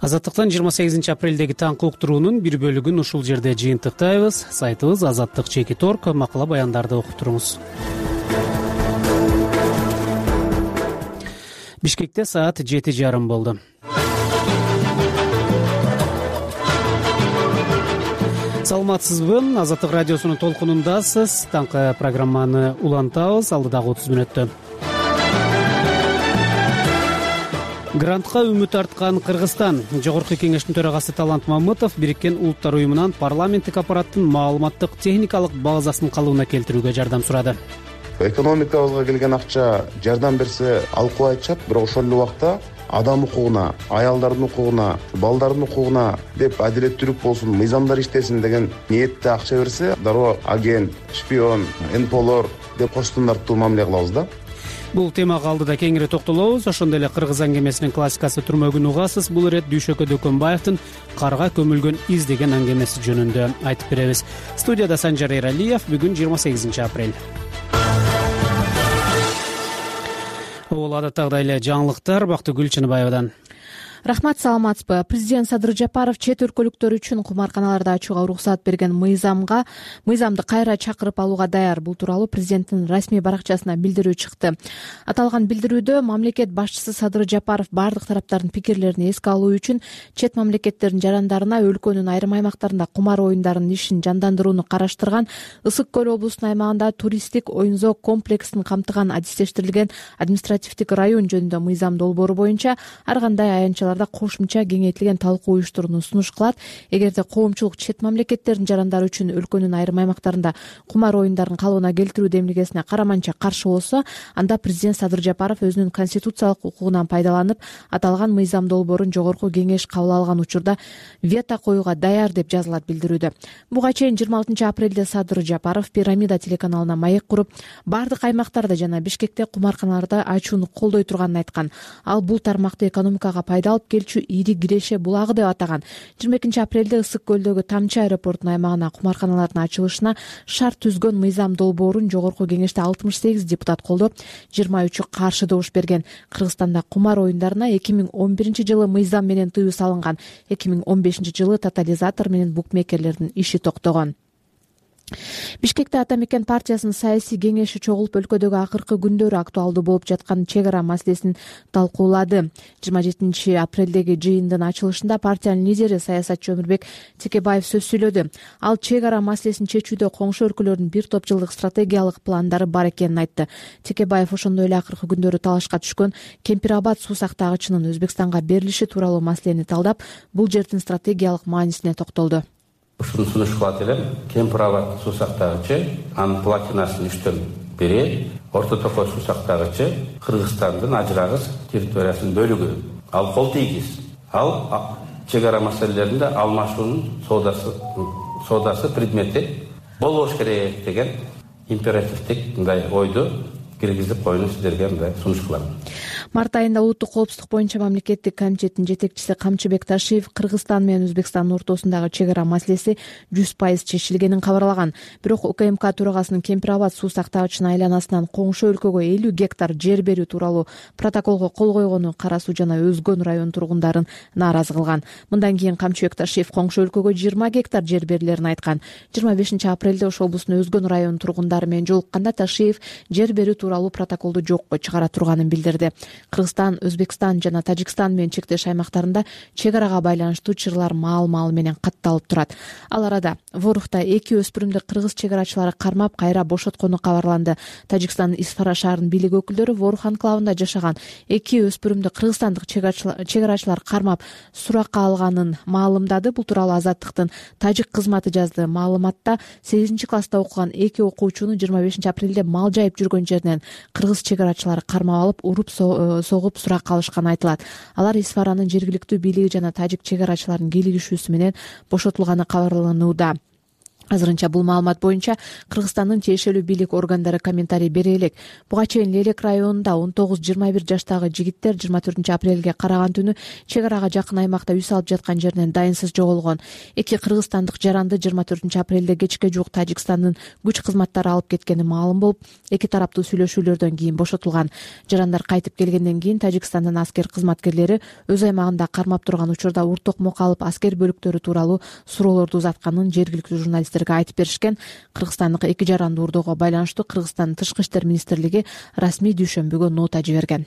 Азаттыктан 28 апрелдеги таңкы уктуруунун бир бөлүгүн ушул жерде жыйынтыктайбыз. Сайтыбыз azаттык.org, макала баяндарды окуп туруңуз. Бишкекте саат 7:30 болду. Саламатсызбы? Азаттык радиосунун толкунундасыз. Таңкы программаны улантабыз алдыдагы 30 мүнөттө. Грантка үмүт арткан Кыргызстан. Жогорку кеңештин төрагасы Талант Мамытов Бириккен Улуттар уюмунан парламенттик аппараттын маалыматтык техникалык базасын калыбына келтирүүгө жардам сурады. Экономикабызга келген акча жардам берсе алкуу айтышат, бирок ошол эле убакта адам укугуна, аялдардын укугуна, балдардын укугуна деп адилеттүүлүк болсун, мыйзамдар иштесин деген ниетте акча берсе, дароо агент, шпион, НПОлор деп коштун тартуу мамиле кылабыз да. Бул темага алдыда кеңири токтолобуз. Ошондой эле кыргыз аңгемесинин классикасы түрмөгүн угасыз. Бул ирет Дүйшөкө Дөкөнбаевдин карга көмүлгөн из деген аңгемеси жөнүндө айтып беребиз. Студияда Санжар Эралиев. Бүгүн 28 апрель. Бул адаттагыдай эле жаңылыктар Бактыгүл Чыныбаевадан. Рахмат, саламатсызбы? Президент Садыр Жапаров чет өлкөлүктөр үчүн кумарканаларды ачууга уруксат берген мыйзамды кайра чакырып алууга даяр. Бул тууралуу президенттин расмий баракчасына билдирүү чыкты. Аталган билдирүүдө мамлекет башчысы Садыр Жапаров бардык тараптардын пикирлерин эске алуу үчүн чет мамлекеттердин жарандарына өлкөнүн айрым аймактарында кумар оюндарынын ишин жандандырууну караштырган, Ысык көл облусунун аймагында туристтик оюн-зоок комплексин камтыган адистештирилген административдик район жөнүндө мыйзам долбоору боюнча ар кандай аянтчалар кошумча кеңейтилген талкуу уюштурууну сунуш кылат. Эгерде коомчулук чет мамлекеттердин жарандары үчүн өлкөнүн айрым аймактарында кумар оюндарын калыбына келтирүү демилгесине караманча каршы болсо, анда президент Садыр Жапаров өзүнүн конституциялык укугунан пайдаланып, аталган мыйзам долбоорун жогорку кеңеш кабыл алган учурда вето коюуга даяр деп жазылат билдирүүдө. Буга чейин 26 апрелде Садыр Жапаров Пирамида телеканалына маек куруп, бардык аймактарда жана Бишкекте кумарканаларды ачууну колдой турганын айткан. Ал бул тармакты экономикага пайда алып келчү ири киреше булагы деп атаган. 22 апрелде Ысык көлдөгү Тамчы аэропортунун аймагына кумарканалардын ачылышына шарт түзгөн мыйзам долбоорун жогорку кеңеште 68 депутат колдоп, 23 каршы добуш берген. Кыргызстанда кумар оюндарына 2011 жылы мыйзам менен тыюу салынган. 2015 жылы тотализатор менен букмекерлердин иши токтогон. Бишкекте Ата Мекен партиясынын саясий кеңеши чогулуп, өлкөдөгү акыркы күндөрү актуалдуу болуп жаткан чек ара маселесин талкуулады. 27 апрелдеги жыйындын ачылышында партиянын лидери саясатчы Өмүрбек Текебаев сөз сүйлөдү. Ал чек ара маселесин чечүүдө коңшу өлкөлөрдүн бир топ жылдык стратегиялык пландары бар экенин айтты. Текебаев ошондой эле акыркы күндөрү талашка түшкөн Кемпир Абад суу сактагычынын Өзбекстанга берилиши тууралуу маселени талдап, бул жердин стратегиялык маанисине токтолду. Ушуну сунуш кылат элем. Кемпир Абад суу сактагычы, анын платинасын 3төн бири, Орто Токой суу сактагычы Кыргызстандын ажырагыс территориясынын бөлүгү. Ал кол тийгиз. Ал чек ара маселелеринде алмашуунун соодасы предмети болбош керек деген императивдик мындай ойду киргизип коюуну сиздерге мындай сунуш кылам. Март айында улуттук коопсуздук боюнча мамлекеттик комитеттин жетекчиси Камчыбек Ташиев Кыргызстан менен Өзбекстандын ортосундагы чек ара маселеси 100% чечилгенин кабарлаган. Бирок УКМК төрагасынын Кемпир Абад суу сактагычынын айланасынан коңшу өлкөгө 50 гектар жер берүү тууралуу протоколго кол койгону Кара Суу жана Өзгөн район тургундарын нааразы кылган. Мындан кийин Камчыбек Ташиев коңшу өлкөгө 20 гектар жер берилерин айткан. 25 апрелде ошол облустун Өзгөн район тургундары менен жолукканда Ташиев жер берүү тууралуу протоколду жокко чыгара турганын билдирди. Кыргызстан, Өзбекстан жана Тажикстан менен чектеш аймактарында чек арага байланыштуу чырлар маал менен катталып турат. Ал арада Ворухта 2 өспүрүмдү кыргыз чек арачылары кармап кайра бошоткону кабарланды. Тажикстандын Исфара шаарынын бийлик өкүлдөрү Ворух анклавында жашаган 2 өспүрүмдү кыргызстандык чек арачылар кармап суракка алганын маалымдады. Бул тууралуу Азаттыктын тажик кызматы жазды. Маалыматта 8 класста окуган 2 окуучуну 25 апрелде мал жайып жүргөн жеринен кыргыз чек арачылары кармап алып, уруп согуп суракка алышканы айтылат. Алар Исфаранын жергиликтүү бийлиги жана тажик чек арачыларынын кийлигишүүсү менен бошотулганы кабарланууда. Азырынча бул маалымат боюнча Кыргызстандын тиешелүү бийлик органдары комментарий бере элек. Буга чейин Лелек районунда 19-21 жаштагы жигиттер 24 апрелге караган түнү чек арага жакын аймакта үй салып жаткан жеринен дайынсыз жоголгон. Эки кыргызстандык жаранды 24 апрелде кечке жуук Тажикстандын күч кызматтары алып кеткени маалым болуп, эки тараптуу сүйлөшүүлөрдөн кийин бошотулган. Жарандар кайтып келгенден кийин Тажикстандын аскер кызматкерлери өз аймагында кармап турган учурда ур токмок алып аскер бөлүктөрү тууралуу суроолорду узатканын жергиликтүү журналисттер айтып беришкен. Кыргызстандык эки жаранды уурдоого байланыштуу Кыргызстандын Тышкы иштер министрлиги расмий дүйшөмбүгө нота жиберген.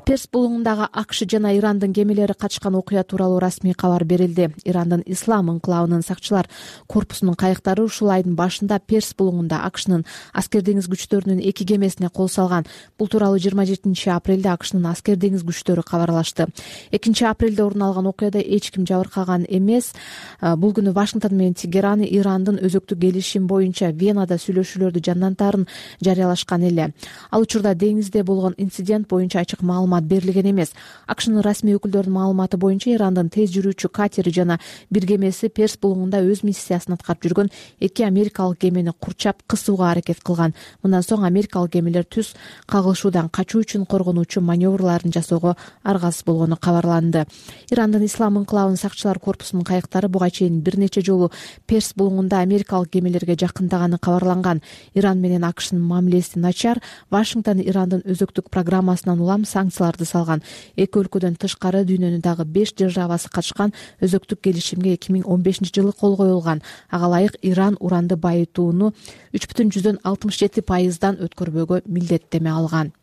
Перс булуңундагы АКШ жана Ирандын кемелери катышкан окуя тууралуу расмий кабар берилди. Ирандын Ислам инкылабынын сакчылар корпусунун кайыктары ушул айдын башында Перс булуңунда АКШнын аскер деңиз күчтөрүнүн эки кемесине кол салган. Бул тууралуу 27 апрелде АКШнын аскер деңиз күчтөрү кабарлашты. 2 апрелде орун алган окуяда эч ким жабыркаган эмес. Бул күнү Вашингтон менен Тегеран Ирандын өзөктүк келишим боюнча Венада сүйлөшүүлөрдү жандантаарын жарыялашкан эле. Ал учурда деңизде болгон инцидент боюнча ачык маалымат берилген эмес. АКШнын расмий өкүлдөрүнүн маалыматы боюнча Ирандын тез жүрүүчү катери жана бир кемеси Перс булуңунда өз миссиясын аткарып жүргөн эки америкалык кемени курчап кысууга аракет кылган. Мындан соң америкалык кемелер түз кагылышуудан качуу үчүн коргонуучу маневрларын жасоого аргасыз болгону кабарланды. Ирандын Ислам инкылабынын сакчылар корпусунун кайыктары буга чейин бир нече жолу Перс булуңунда америкалык кемелерге жакындаганы кабарланган. Иран менен АКШнын мамилеси начар. Вашингтон Ирандын өзөктүк программасынан улам санкцияларды салган. Эки өлкөдөн тышкары дүйнөнүн дагы 5 державасы катышкан өзөктүк келишимге 2015-жылы кол коюлган. Ага ылайык Иран уранды байытууну 3,67%дан өткөрбөөгө милдеттеме алган.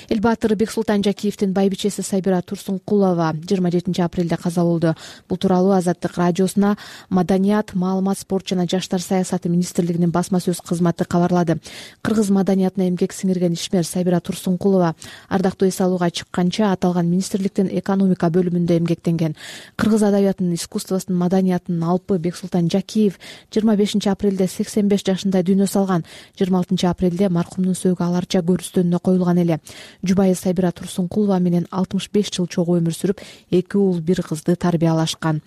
Элбатыр Бексултан Жакиевдин байбичеси Сайбира Турсункулова 27 апрелде каза болду. Бул тууралуу Азаттык радиосуна Маданият, маалымат, спорт жана жаштар саясаты министрлигинин басма сөз кызматы кабарлады. Кыргыз маданиятына эмгек сиңирген ишмер Сайбира Турсункулова ардактуу эс алууга чыкканча аталган министрликтин экономика бөлүмүндө эмгектенген. Кыргыз адабиятынын, искусствосунун, маданиятынын алпы Бексултан Жакиев 25 апрелде 85 жашында дүйнө салган. 26 апрелде маркумдун сөөгү аларча көрүстөнүнө коюлган эле. Жубайы Сайбира Турсункулова менен 65 жыл чогуу өмүр сүрүп, 2 уул, 1 кызды тарбиялашкан.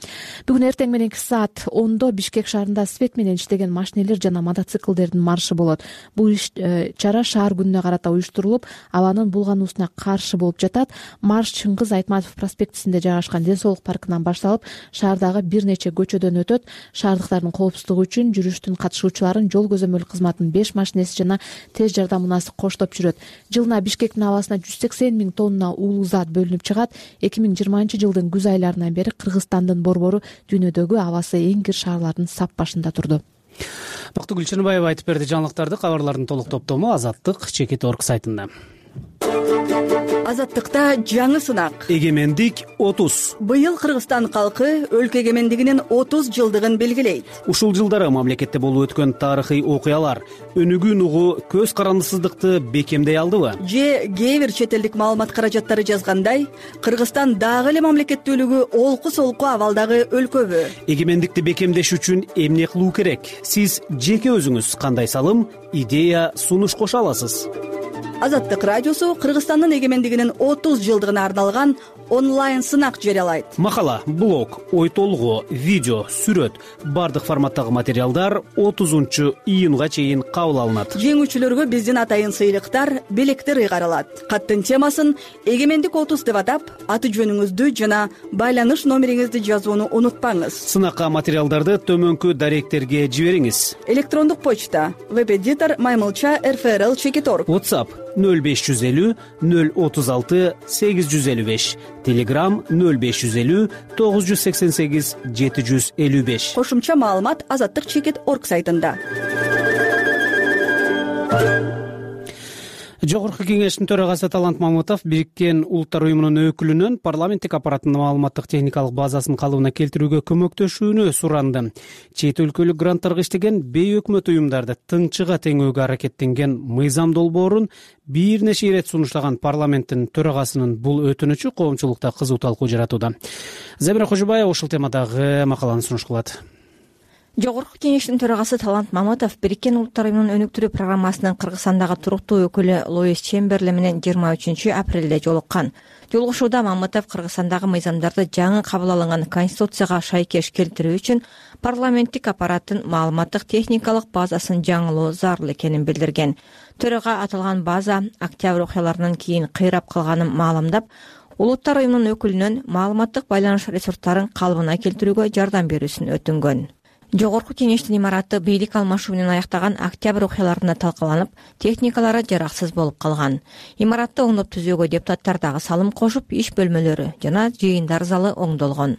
Бүгүн эртең мененки саат 10-до Бишкек шаарында свет менен иштеген машинелер жана мотоциклдердин маршы болот. Бул чара шаар күнүнө карата уюштурулуп, абанын булгануусуна каршы болуп жатат. Марш Чыңгыз Айтматов проспектисинде жайгашкан Ден соолук паркынан башталып, шаардагы бир нече көчөдөн өтөт. Шаардыктардын коопсуздугу үчүн жүрүштүн катышуучуларын жол көзөмөл кызматынын 5 машинеси жана тез жардам унаасы коштоп жүрөт. Жылына Бишкектин абасына 180 000 тонна уулуу зат бөлүнүп чыгат. 2020-жылдын күз айларынан бери Кыргызстандын борбору дүйнөдөгү абасы эң кир шаарлардын сап башында турду. Бактыгүл Чыныбаева айтып берди жаңылыктарды. Кабарлардын толук топтому Азаттык Чекит.орг сайтында. Азаттыкта жаңы сынак. Эгемендик 30. Быйыл Кыргызстан калкы өлкө эгемендигинин 30 жылдыгын белгилейт. Ушул жылдары мамлекетте болуп өткөн тарыхый окуялар өнүгүүнү угуу көз карандысыздыкты бекемдей алдыбы? Же кээ бир чет элдик маалымат каражаттары жазгандай, Кыргызстан дагы эле мамлекеттүүлүгү олку-солку абалдагы өлкөбү? Эгемендикти бекемдеш үчүн эмне кылуу керек? Сиз жеке өзүңүз кандай салым, идея, сунуш кошо аласыз? Азаттык радиосу Кыргызстандын эгемендигинин 30 жылдыгына арналган онлайн сынак жарыялайт. Макала, блог, ой толгоо, видео, сүрөт, бардык форматтагы материалдар 30-июнга чейин кабыл алынат. Жеңүүчүлөргө биздин атайын сыйлыктар, белектер ыйгарылат. Каттын темасын Эгемендик 30 деп атап, аты жөнүңүздү жана байланыш номериңизди жазууну унутпаңыз. Сынакка материалдарды төмөнкү даректерге жибериңиз. Электрондук почта web-editor maymulcha@rfrl.org. WhatsApp 0550 036 855. Telegram 0550 988 755. Кошумча маалымат Азаттык Чекит.орг сайтында. Жогорку кеңештин төрагасы Талант Мамытов Бириккен Улуттар уюмунун өкүлүнөн парламенттик аппараттын маалыматтык техникалык базасын калыбына келтирүүгө көмөктөшүүнү суранды. Чет өлкөлүк гранттарга иштеген бейөкмөт уюмдарды тыңчыга теңөөгө аракеттенген мыйзам долбоорун бир нече ирет сунуштаган парламенттин төрагасынын бул өтүнүчү коомчулукта кызуу талкуу жаратууда. Замира Кожобаева ушул темадагы макаланы сунуш кылат. Жогорку кеңештин төрагасы Талант Маматов Бириккен Улуттар уюмунун өнүктүрүү программасынын Кыргызстандагы туруктуу өкүлү Луис Чемберли менен 23 апрелде жолуккан. Жолугушууда Маматов Кыргызстандагы мыйзамдарды жаңы кабыл алынган Конституцияга шайкеш келтирүү үчүн парламенттик аппараттын маалыматтык техникалык базасын жаңылоо зарыл экенин билдирген. Төрага аталган база октябрь окуяларынан кийин кыйрап калганын маалымдап, Улуттар уюмунун өкүлүнөн маалыматтык байланыш ресурстарын калыбына келтирүүгө жардам берүүсүн өтүнгөн. Жогорку кеңештин имараты бийлик алмашуу менен аяктаган октябрь окуяларында талкаланып, техникалары жараксыз болуп калган. Имаратты оңдоп түзүүгө депутаттар дагы салым кошуп, иш бөлмөлөрү жана жыйындар залы оңдолгон.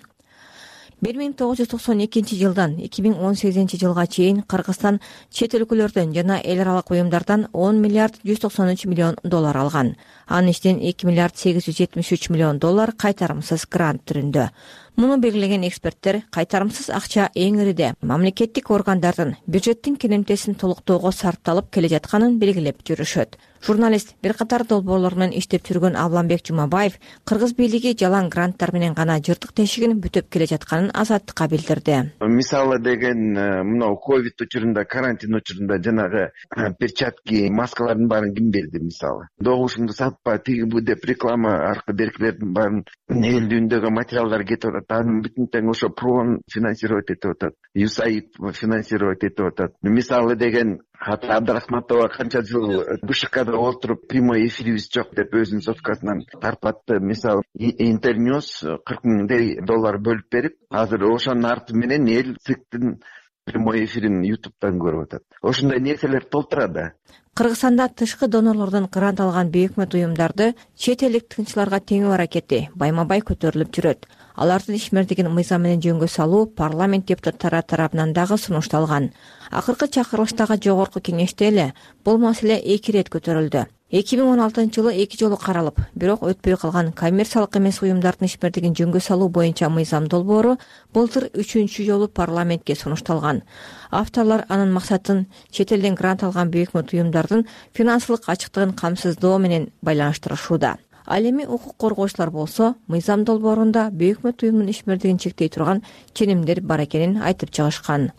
1992 жылдан 2018 жылга чейин Кыргызстан чет өлкөлөрдөн жана эл аралык уюмдардан 10 миллиард 193 миллион доллар алган. Анын ичинен 2 миллиард 873 миллион доллар кайтарымсыз грант түрүндө. Муну белгилеген эксперттер кайтарымсыз акча эң ириде мамлекеттик органдардын бюджеттин керемтесин толуктоого сарпталып келе жатканын белгилеп жүрүшөт. Журналист бир катар долбоорлор менен иштеп жүргөн Абламбек Жумабаев кыргыз бийлиги жалаң гранттар менен гана жыртык тешигин бүтөп келе жатканын Азаттыкка билдирди. Мисалы деген мына ковид учурунда, карантин учурунда жанагы перчатки, маскалардын баарын ким берди мисалы? Добушуңду сатпа, тиги бу деп реклама аркылуу беркилердин баарын элдүүндөгү материалдар кетип атат. Анын бүтүн тең ошо ПРОн финансировать этип атат. ЮСАИД финансировать этип атат. Мисалы деген Абдрахматова канча жыл БШКда отуруп прямой эфирибиз жок деп өзүнүн соткасынан тарпатты. Мисалы Интерньюс 40 миңдей доллар бөлүп берип, азыр ошонун арты менен эл ЦИКтин прямой эфирин YouTube'дан көрүп атат. Ошондой нерселер толтурат. Кыргызстанда тышкы донорлордон грант алган бейөкмөт уюмдарды чет элдик тынчыларга теңөө аракети байма-бай көтөрүлүп жүрөт. Алардын ишмердигин мыйзам менен жөнгө салуу парламент депутаттары тарабынан дагы сунушталган. Акыркы чакырылыштагы жогорку кеңеште эле бул маселе 2 ирет көтөрүлдү. 2016 жылы 2 жолу каралып, бирок өтпөй калган коммерциялык эмес уюмдардын ишмердигин жөнгө салуу боюнча мыйзам долбоору былтыр 3 жолу парламентке сунушталган. Авторлор анын максатын чет элден грант алган бейөкмөт уюмдардын финансылык ачыктыгын камсыздоо менен байланыштырышууда. Ал эми укук коргоочулар болсо, мыйзам долбоорунда бейөкмөт уюмдун ишмердигин чектей турган ченемдер бар экенин айтып чыгышкан.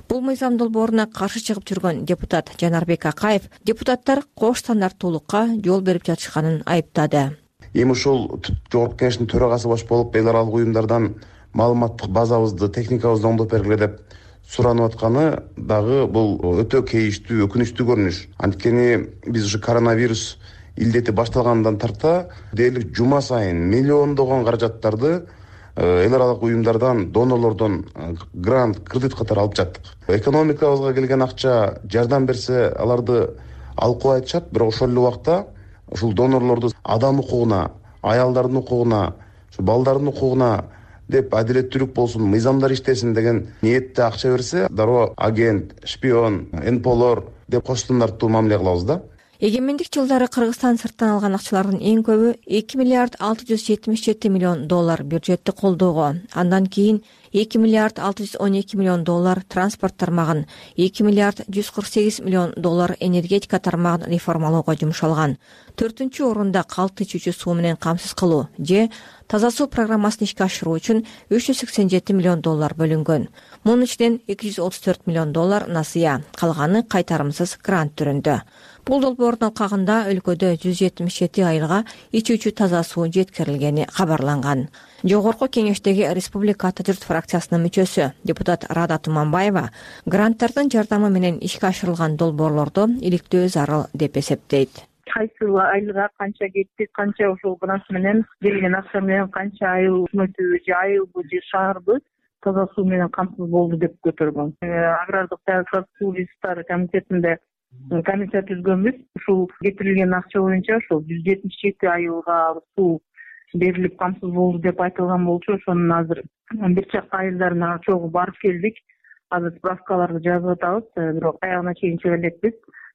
Бул мыйзам долбооруна каршы чыгып жүргөн депутат Жанарбек Акаев депутаттар кош стандарттуулукка жол берип жатышканын айыптады. Эми ушул жогорку кеңештин төрагасы баш болуп эл аралык уюмдардан маалыматтык базабызды, техникабызды оңдоп бергиле деп суранып атканы дагы бул өтө кейиштүү, өкүнүчтүү көрүнүш. Анткени биз ушу коронавирус илдети башталгандан тарта дээрлик жума сайын миллиондогон каражаттарды эл аралык уюмдардан, донорлордон грант, кредит катары алып жаттык. Экономикабызга келген акча жардам берсе, аларды алып коюп айтышат, бирок ошол эле убакта ушул донорлорду адам укугуна, аялдардын укугуна, балдардын укугуна деп адилеттүүлүк болсун, мыйзамдар иштесин деген ниетте акча берсе, дароо агент, шпион, НПОлор деп кош стандарттуу мамиле кылабыз да. Эгемендик жылдары Кыргызстан сырттан алган акчалардын эң көбү 2 миллиард 677 миллион доллар бюджетти колдоого, андан кийин 2 миллиард 612 миллион доллар транспорт тармагын, 2 миллиард 148 миллион доллар энергетика тармагын реформалоого жумшалган. 4-чү орунда калты ичүүчү суу менен камсыз кылуу же таза суу программасын ишке ашыруу үчүн 387 миллион доллар бөлүнгөн. Мунун ичинен 234 миллион доллар насыя, калганы кайтарымсыз грант түрүндө. Бул долбоордун алкагында өлкөдө 177 айылга ичүүчү таза суу жеткирилгени кабарланган. Жогорку кеңештеги Республика Ата журт фракциясынын мүчөсү депутат Рада Туманбаева гранттардын жардамы менен ишке ашырылган долбоорлорду иликтөө зарыл деп эсептейт. Кайсы айылга канча кетти, канча ошол грант менен берилген акча менен канча айыл өкмөтү же айылбы же шаарбы таза суу менен камсыз болду деп көтөргөн. Агрардык саясат суу ресурстары комитетинде комитет түзгөнбүз. Ушул кетирилген акча боюнча ошол 177 айылга суу берилип камсыз болду деп айтылган болчу. Ошонун азыр бир чакта айылдарына чогуу барып келдик. Азыр справкаларды жазып атабыз, бирок аягына чейин чыга элекпиз.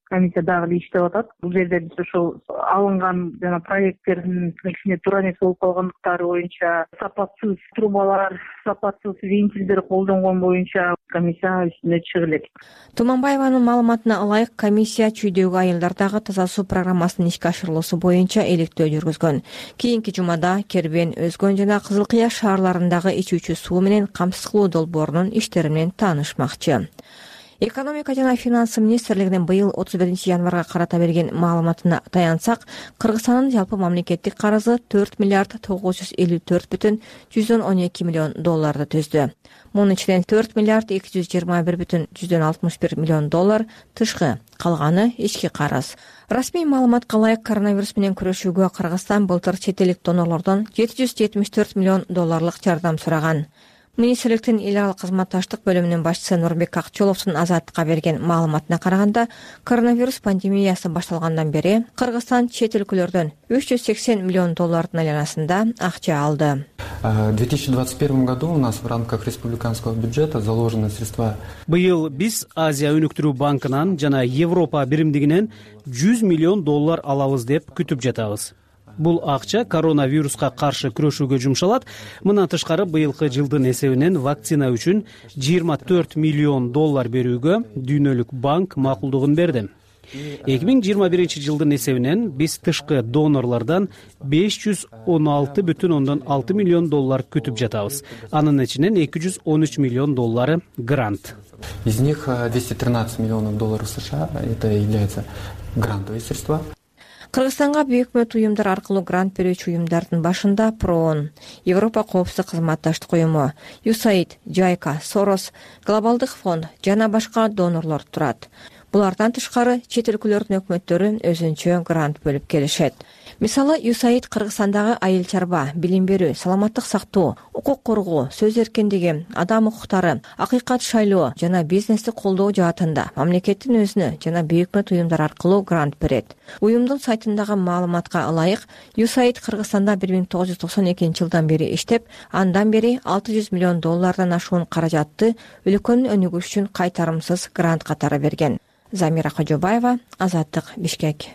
Комиссия дагы иштеп атат. Бул жерде биз ошол алынган жана проекттердин ичинде туура нерсе болуп калгандыктары боюнча сапатсыз трубалар, сапатсыз вентилдер колдонгон боюнча комиссия үстүнө чыга элек. Туманбаеванын маалыматына ылайык, комиссия чүйдөгү айылдардагы таза суу программасынын ишке ашырылуусу боюнча иликтөө жүргүзгөн. Кийинки жумада Кербен, Өзгөн жана Кызыл Кыя шаарларындагы ичүүчү суу менен камсыз кылуу долбоорунун иштери менен таанышмакчы. Экономика жана финансы министрлигинин быйыл 31 январга карата берген маалыматына таянсак, Кыргызстандын жалпы мамлекеттик карызы 4 миллиард 954,112 миллион долларды түздү. Мунун ичинен 4 миллиард 221,61 миллион доллар тышкы, калганы ички карыз. Расмий маалыматка ылайык, коронавирус менен күрөшүүгө Кыргызстан былтыр чет элдик донорлордон 774 миллион долларлык жардам сураган. Министрликтин эл аралык кызматташтык бөлүмүнүн башчысы Нурбек Акчоловдун Азаттыкка берген маалыматына караганда, коронавирус пандемиясы башталгандан бери Кыргызстан чет өлкөлөрдөн 380 миллион доллардын айланасында акча алды. В 2021 году у нас в рамках республиканского бюджета заложены средства. Быйыл биз Азия өнүктүрүү банкынан жана Европа биримдигинен 100 миллион доллар алабыз деп күтүп жатабыз. Бул акча коронавируска каршы күрөшүүгө жумшалат. Мындан тышкары быйылкы жылдын эсебинен вакцина үчүн 24 миллион доллар берүүгө Дүйнөлүк банк макулдугун берди. 2021 жылдын эсебинен биз тышкы донорлордон 516,6 миллион доллар күтүп жатабыз. Анын ичинен 213 миллион доллары грант. Из них 213 миллионов долларов США это является грантовые средства. Кыргызстанга бейөкмөт уюмдар аркылуу грант берүүчү уюмдардын башында ПРООН, Европа коопсуздук кызматташтык уюму, USAID, JICA, Soros, Глобалдык фонд жана башка донорлор турат. Булардан тышкары чет өлкөлөрдүн өкмөттөрү өзүнчө грант бөлүп келишет. Мисалы, USAID Кыргызстандагы айыл чарба, билим берүү, саламаттык сактоо, укук коргоо, сөз эркиндиги, адам укуктары, акыйкат шайлоо жана бизнести колдоо жаатында мамлекеттин өзүнө жана бейөкмөт уюмдар аркылуу грант берет. Уюмдун сайтындагы маалыматка ылайык, USAID Кыргызстанда 1992 жылдан бери иштеп, андан бери 600 миллион доллардан ашуун каражатты өлкөнүн өнүгүшү үчүн кайтарымсыз грант катары берген. Замира Кожобаева, Азаттык, Бишкек.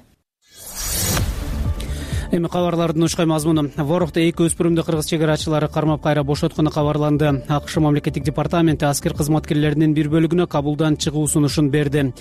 Эми кабарлардын ушкай мазмуну. Ворокто 2 өспүрүмдү кыргыз чек арачылары кармап кайра бошоткону кабарланды. АКШ мамлекеттик департаменти аскер кызматкерлеринин бир бөлүгүнө кабулдан чыгуу сунушун берди.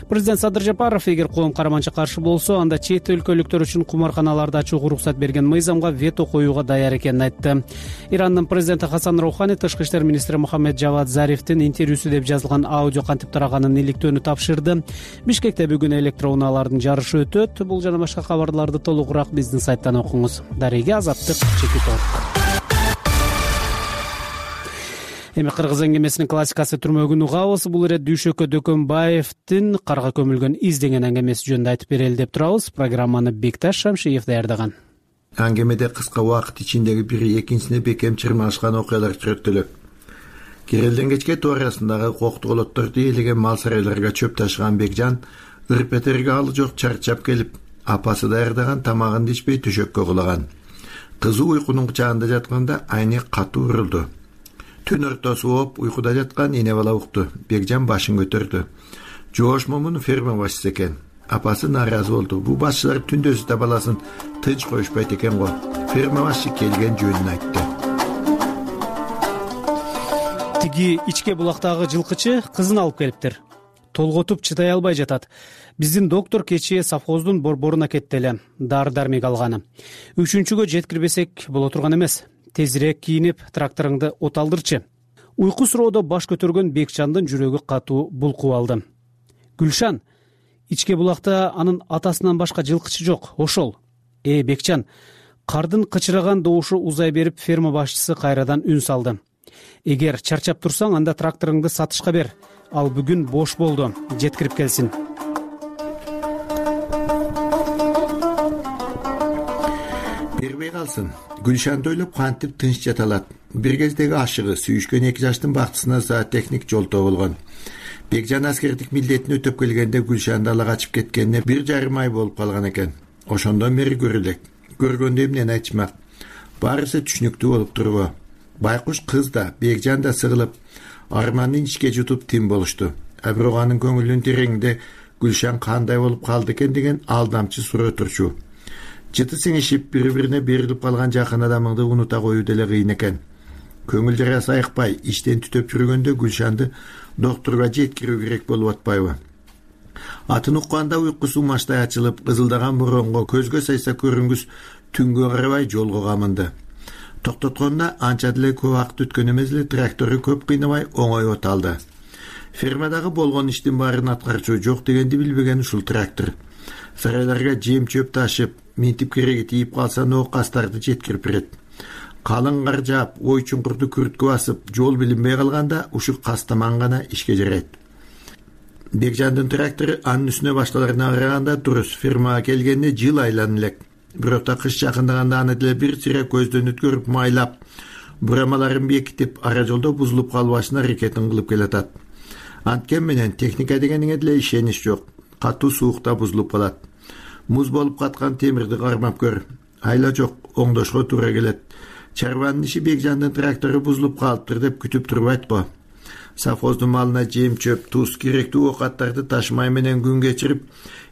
Президент Садыр Жапаров эгер коом карманча каршы болсо, анда чет өлкөлүктөр үчүн кумарканаларды ачууга уруксат берген мыйзамга вето коюуга даяр экенин айтты. Ирандын президенти Хасан Роухани тышкы иштер министри Мухаммед Жавад Зарифтин интервьюсу деп жазылган аудио кантип тараганын иликтөөнү тапшырды. Бишкекте бүгүн электроунаалардын жарышы өтөт. Бул жана башка кабарларды толугураак биздин сайттан окуңуз. Дареге Азаттык, Чекиток. Эми кыргыз эңгемесинин классикасы түрмөгүн угабыз. Бул ирет Дүйшөкө Дөкөнбаевдин карга көмүлгөн из деген эңгемеси жөнүндө айтып берели деп турабыз. Программаны Бекташ Шамшиев даярдаган. Әңгемеде кыска убакыт ичиндеги бири экинчисине бекем чырмашкан окуялар сүрөттөлөт. Кирелден кечке туурасындагы коктуголотторду ээлеген мал сарайларга чөп ташыган Бекжан ырпетерге алы жок чарчап келип, апасы даярдаган тамагын ичпей төшөккө кулаган. Кызы уйкунун кучагында жатканда айны катуу урулду. Түн ортосу болуп уйкуда жаткан эне бала укту. Бекжан башын көтөрдү. Жоош момун ферма башчысы экен. Апасы нааразы болду. Бул башчылар түндөсү да баласын тынч коюшпайт экен го. Ферма башчы келген жөнүн айтты. Тиги ичке булактагы жылкычы кызын алып келиптир. Толготуп чыдай албай жатат. Биздин доктор кечээ совхоздун борборуна кетти эле. Дары-дармек алганы. 3-күнгө жеткирбесек боло турган эмес. Тезирээк кийинип, тракторуңду от алдырчы. Уйку суроодо баш көтөргөн Бекжандын жүрөгү катуу булкуп алды. Гүлшан, ичке булакта анын атасынан башка жылкычы жок, ошол. Бекжан, кардын кычыраган добушу узай берип, ферма башчысы кайрадан үн салды. Эгер чарчап турсаң, анда тракторуңду сатышка бер. Ал бүгүн бош болду, жеткирип келсин. Бербей калсын. Гүлшанды ойлоп кантип тынч жата алат. Бир кездеги ашыгы сүйүшкөн 2 жаштын бактысына зоотехник жолтоо болгон. Бекжан аскердик милдетин өтөп келгенде Гүлшанды ала качып кеткенине 1,5 ай болуп калган экен. Ошондон бери көрүлөк. Көргөндө эмнени айтышмак. Баарысы түшүнүктүү болуп турбу. Байкуш кыз да, Бекжан да сыгылып, арманын ичке жутуп тим болушту. Бирок анын көңүлүнүн тереңинде Гүлшан кандай болуп калды экен деген алдамчы суроо турчу. Жыты сиңишип, бири-бирине берилип калган жакын адамыңды унута коюу деле кыйын экен. көңүл жарасы айыкпай иштен түтөп жүргөндө Гүлшанды доктурга жеткирүү керек болуп атпайбы? Атын укканда уйкусу маштай ачылып, кызылдаган боронго көзгө сайса көрүнгүс түнгө карабай жолго камынды. Токтотконуна анча деле көп убакыт өткөн эмес эле трактору көп кыйнабай оңой от алды. Фермадагы болгон иштин баарын аткарчу жок дегенди билбеген ушул трактор. Сарайларга жем чөп ташып, минтип кереги тийип калса ноокастарды жеткирип берет. Калың кар жаап, ой чуңкурду күрткө басып, жол билинбей калганда ушу кастаман гана ишке жарайт. Бекжандын трактору анын үстүнө башкаларына караганда дурус, фермага келгенде жыл айланып элек. Бирок кыш жакындаганда аны деле бир сире көздөн өткөрүп майлап, бурамаларын бекитип, ара жолдо бузулуп калбашына аракетин кылып келатат. Анткен менен техника дегениңе деле ишенич жок. Катуу суукта бузулуп калат. Муз болуп каткан темирди кармап көр. Айла жок, оңдошко туура келет. Чарбанын иши Бекжандын трактору бузулуп калыптыр деп күтүп турбайт го. Совхоздун малына жем чөп, туз, керектүү оокаттарды ташмай менен күн кечирип,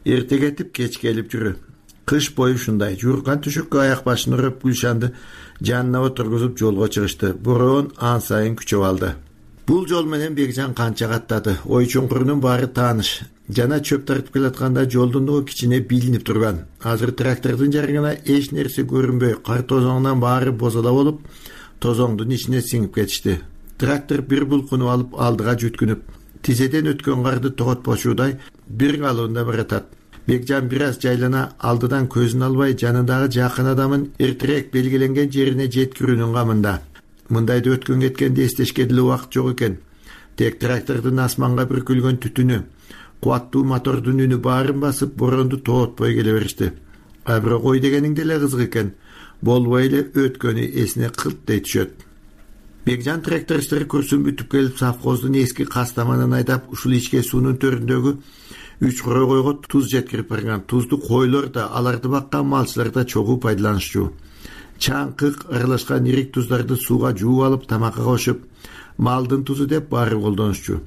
эрте кетип, кеч келип жүрү. Кыш бою ушундай. Жууркан түшөккө аяк башын урап Гүлшанды жанына отургузуп жолго чыгышты. Бороон ан сайын күчөп алды. Бул жол менен Бекжан канча каттады. Ой чуңкурунун баары тааныш. Жана чөп тартып келатканда жолдун дугу кичине билинип турган. Азыр трактордун жарыгына эч нерсе көрүнбөй, кар тозоңунан баары бозола болуп, тозоңдун ичине сиңип кетишти. Трактор бир булкунуп алып алдыга жүткүнүп, тизеден өткөн карды тоготпочудай бир калуунда баратат. Бекжан бир аз жайлана алдыдан көзүн албай жанындагы жакын адамын эртерээк белгиленген жерине жеткирүүнүн камында. Мындайды өткөн кеткенде эстешке деле убакыт жок экен. Тек трактордун асманга бүркүлгөн түтүнү, кубаттуу мотордун үнү баарын басып, боронду тоотпой келе беришти. А бирок ой дегениң деле кызык экен. Болбой эле өткөнү эсине кылттай түшөт. Бекжан трактор иштери курсун бүтүп келип, совхоздун эски кастаманын айдап, ушул ичке суунун төрүндөгү 3 койго туз жеткирип барган. Тузду койлор да, аларды баккан малчылар да чогуу пайдаланышчу. Чаңкык аралашкан ирик туздарды сууга жууп алып, тамакка кошуп, малдын тузу деп баары колдонушчу.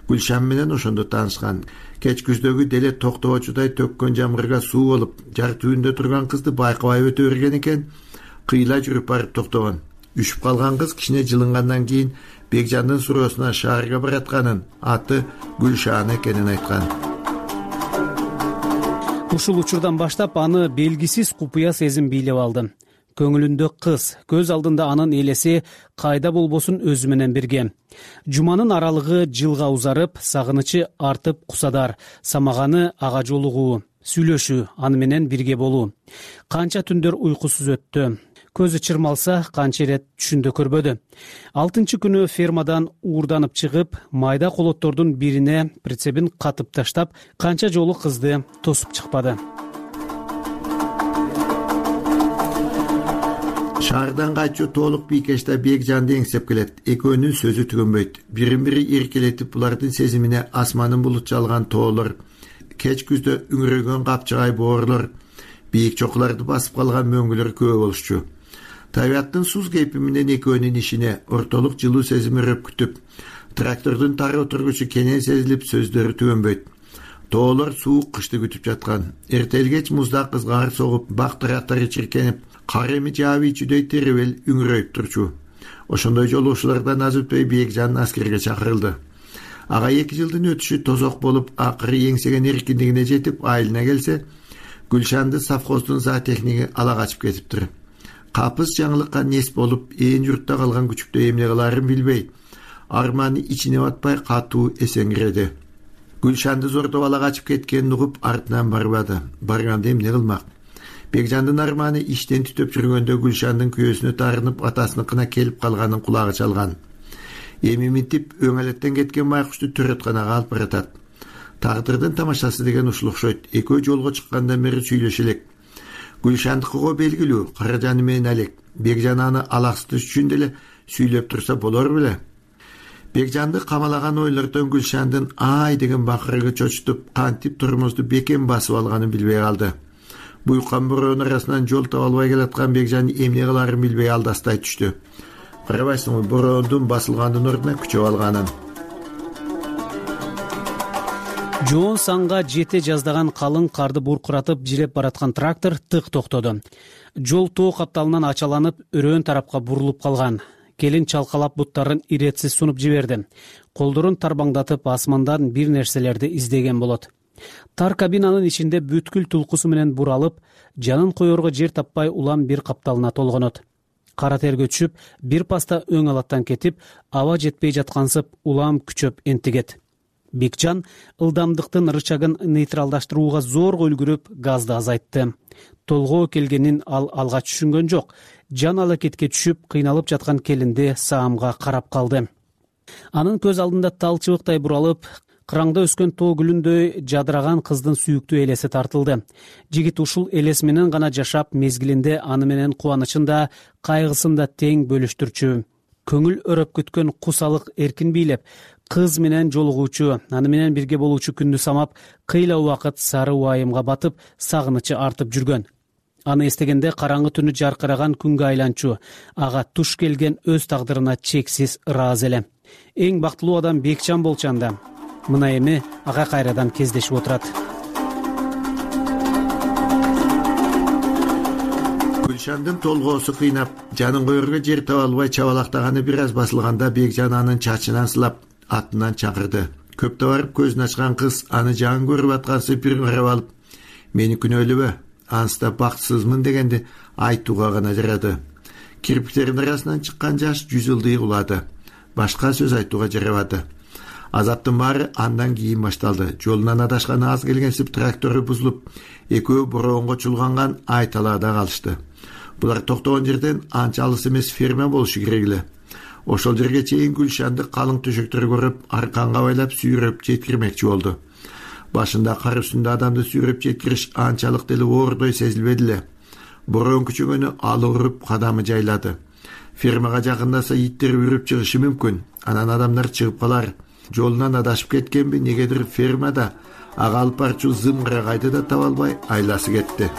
Гүлшан менен ошондо таанышкан. Кеч күздөгү деле токтобочудай төккөн жамгырга суу болуп, жар түбүндө турган кызды байкабай өтө берген экен, кыйла жүрүп барып токтогон. Үшүп калган кыз кичине жылынгандан кийин Бекжандын суроосуна шаарга баратканын, аты Гүлшан экенин айткан. Ушул учурдан баштап аны белгисиз купуя сезим бийлеп алды. Көңүлүндө кыз, көз алдында анын элеси кайда болбосун өзү менен бирге. Жуманын аралыгы жылга узарып, сагынычы артып кусадар, самаганы ага жолугуу, сүйлөшүү, аны менен бирге болуу. Канча түндөр уйкусуз өттү. Көзү чырмалса, канча ирет түшүндө көрбөдү. 6-чы күнү фермадан уурданып чыгып, майда колоттордун бирине прицебин катып таштап, канча жолу кызды тосуп чыкпады. Шаардан кайтчу толук бийкеште Бекжанды эңсеп келет. Экөөнүн сөзү түгөнбөйт. Бирин-бири эркелетип, булардын сезимине асманын булут жалган тоолор, кеч күздө үңүрөгөн капчыгай боорлор, бийик чокуларды басып калган мөңгүлөр көп болушчу. Табиаттын суз кейпи менен экөөнүн ишине ортолук жылуу сезим өрөп күтүп, трактордун тары отургучу кенен сезилип, сөздөрү түгөнбөйт. Тоолор суук кышты күтүп жаткан. Эртелгеч музда кызгаар согуп, бак тарактары чиркенип, кар эми жааби ичүүдөй теребел үңүрөйүп турчу. Ошондой жолуучулардан аз өтпөй Бекжан аскерге чакырылды. Ага 2 жылдын өтүшү тозок болуп, акыры эңсеген эркиндигине жетип, айылына келсе, Гүлшанды совхоздун зоотехниги ала качып кетиптир. Капыс жаңылыкка нес болуп, ээн журтта калган күчүктө эмне кылаарын билбей, арманы ичине батпай катуу эсеңгиреди. Гүлшанды зордоп ала качып кеткенин угуп, артынан барбады. Барганда эмне кылмак? Бекжандын арманы иштен түтөп жүргөндө Гүлшандын күйөөсүнө таарынып, атасыныкына келип калганын кулагы чалган. Эми минтип өңөлөттөн кеткен байкушту төрөтканага алып баратат. Тагдырдын тамашасы деген ушул окшойт. Экөө жолго чыккандан бери сүйлөшө элек. Гүлшандыкыга белгилүү, Каражаны менен Алек. Бекжан аны алаксытыш үчүн деле сүйлөп турса болор беле. Бекжанды камалаган ойлордон Гүлшандын ай деген бакырыгы чочутуп, кантип турмузду бекем басып алганын билбей калды. Буйкан бороонун арасынан жол таба албай келаткан Бекжан эмне кылаарын билбей алдастай түштү. Карабайсыңбы, бороондун басылгандын ордуна күчөп алганын. Жоон санга жете жаздаган калың карды буркуратып жиреп бараткан трактор тык токтоду. Жол тоо капталынан ачаланып, өрөөн тарапка бурулуп калган. келин чалкалап буттарын иретсиз сунуп жиберди. Колдорун тарбаңдатып асмандан бир нерселерди издеген болот. Тар кабинанын ичинде бүткүл тулкусу менен буралып, жанын коерго жер таппай улам бир капталына толгонот. Кара терге түшүп, бир паста өң алаттан кетип, аба жетпей жаткансып улам күчөп энтигет. Бекжан ылдамдыктын рычагын нейтралдаштырууга зорго үлгүрүп, газды азайтты. Толгоо келгенин ал алгач түшүнгөн жок. Жан алакетке түшүп, кыйналып жаткан келинди саамга карап калды. Анын көз алдында тал чыбыктай буралып, кыраңда өскөн тоо гүлүндөй жадыраган кыздын сүйүктүү элеси тартылды. Жигит ушул элес менен гана жашап, мезгилинде аны менен кубанычын да, кайгысын да тең бөлүштүрчү. Көңүл өрөп күткөн кусалык эркин бийлеп, кыз менен жолугуучу, аны менен бирге болуучу күндү самап, кыйла убакыт сары убайымга батып, сагынычы артып жүргөн. Аны эстегенде караңгы түнү жаркыраган күнгө айланчу, ага туш келген өз тагдырына чексиз ыраазы эле. Эң бактылуу адам Бекжан болчу анда. Мына эми ага кайрадан кездешип отурат. Гүлшандын толгоосу кыйнап, жанын коерго жер таба албай чабалактаганы бир аз басылганда Бекжан анын чачынан сылап, атынан чакырды. Көптө барып көзүн ачкан кыз аны жаңы көрүп аткансып бир карап алып, "Мени күнөөлөбө, анста бактысызмын" дегенди айтууга гана жарады. Кирпиктердин арасынан чыккан жаш жүз ылдый кулады. Башка сөз айтууга жарабады. Азаптын баары андан кийин башталды. Жолунан адашканы аз келгенсип трактору бузулуп, экөө бороонго чулганган айталаада калышты. Булар токтогон жерден анча алыс эмес ферма болушу керек эле. Ошол жерге чейин Гүлшанды калың төшөктөр көрүп, арканга байлап сүйрөп жеткирмекчи болду. Башында кар үстүндө адамды сүйрөп жеткириш анчалык деле оордой сезилбеди эле. Бороон күчөгөнү алы уруп, кадамы жайлады. Фермага жакындаса иттер үрүп чыгышы мүмкүн. Анан адамдар чыгып калар. Жолунан адашып кеткенби, негедир фермада ага алып барчу зымгырагайды да таба албай айласы кетти.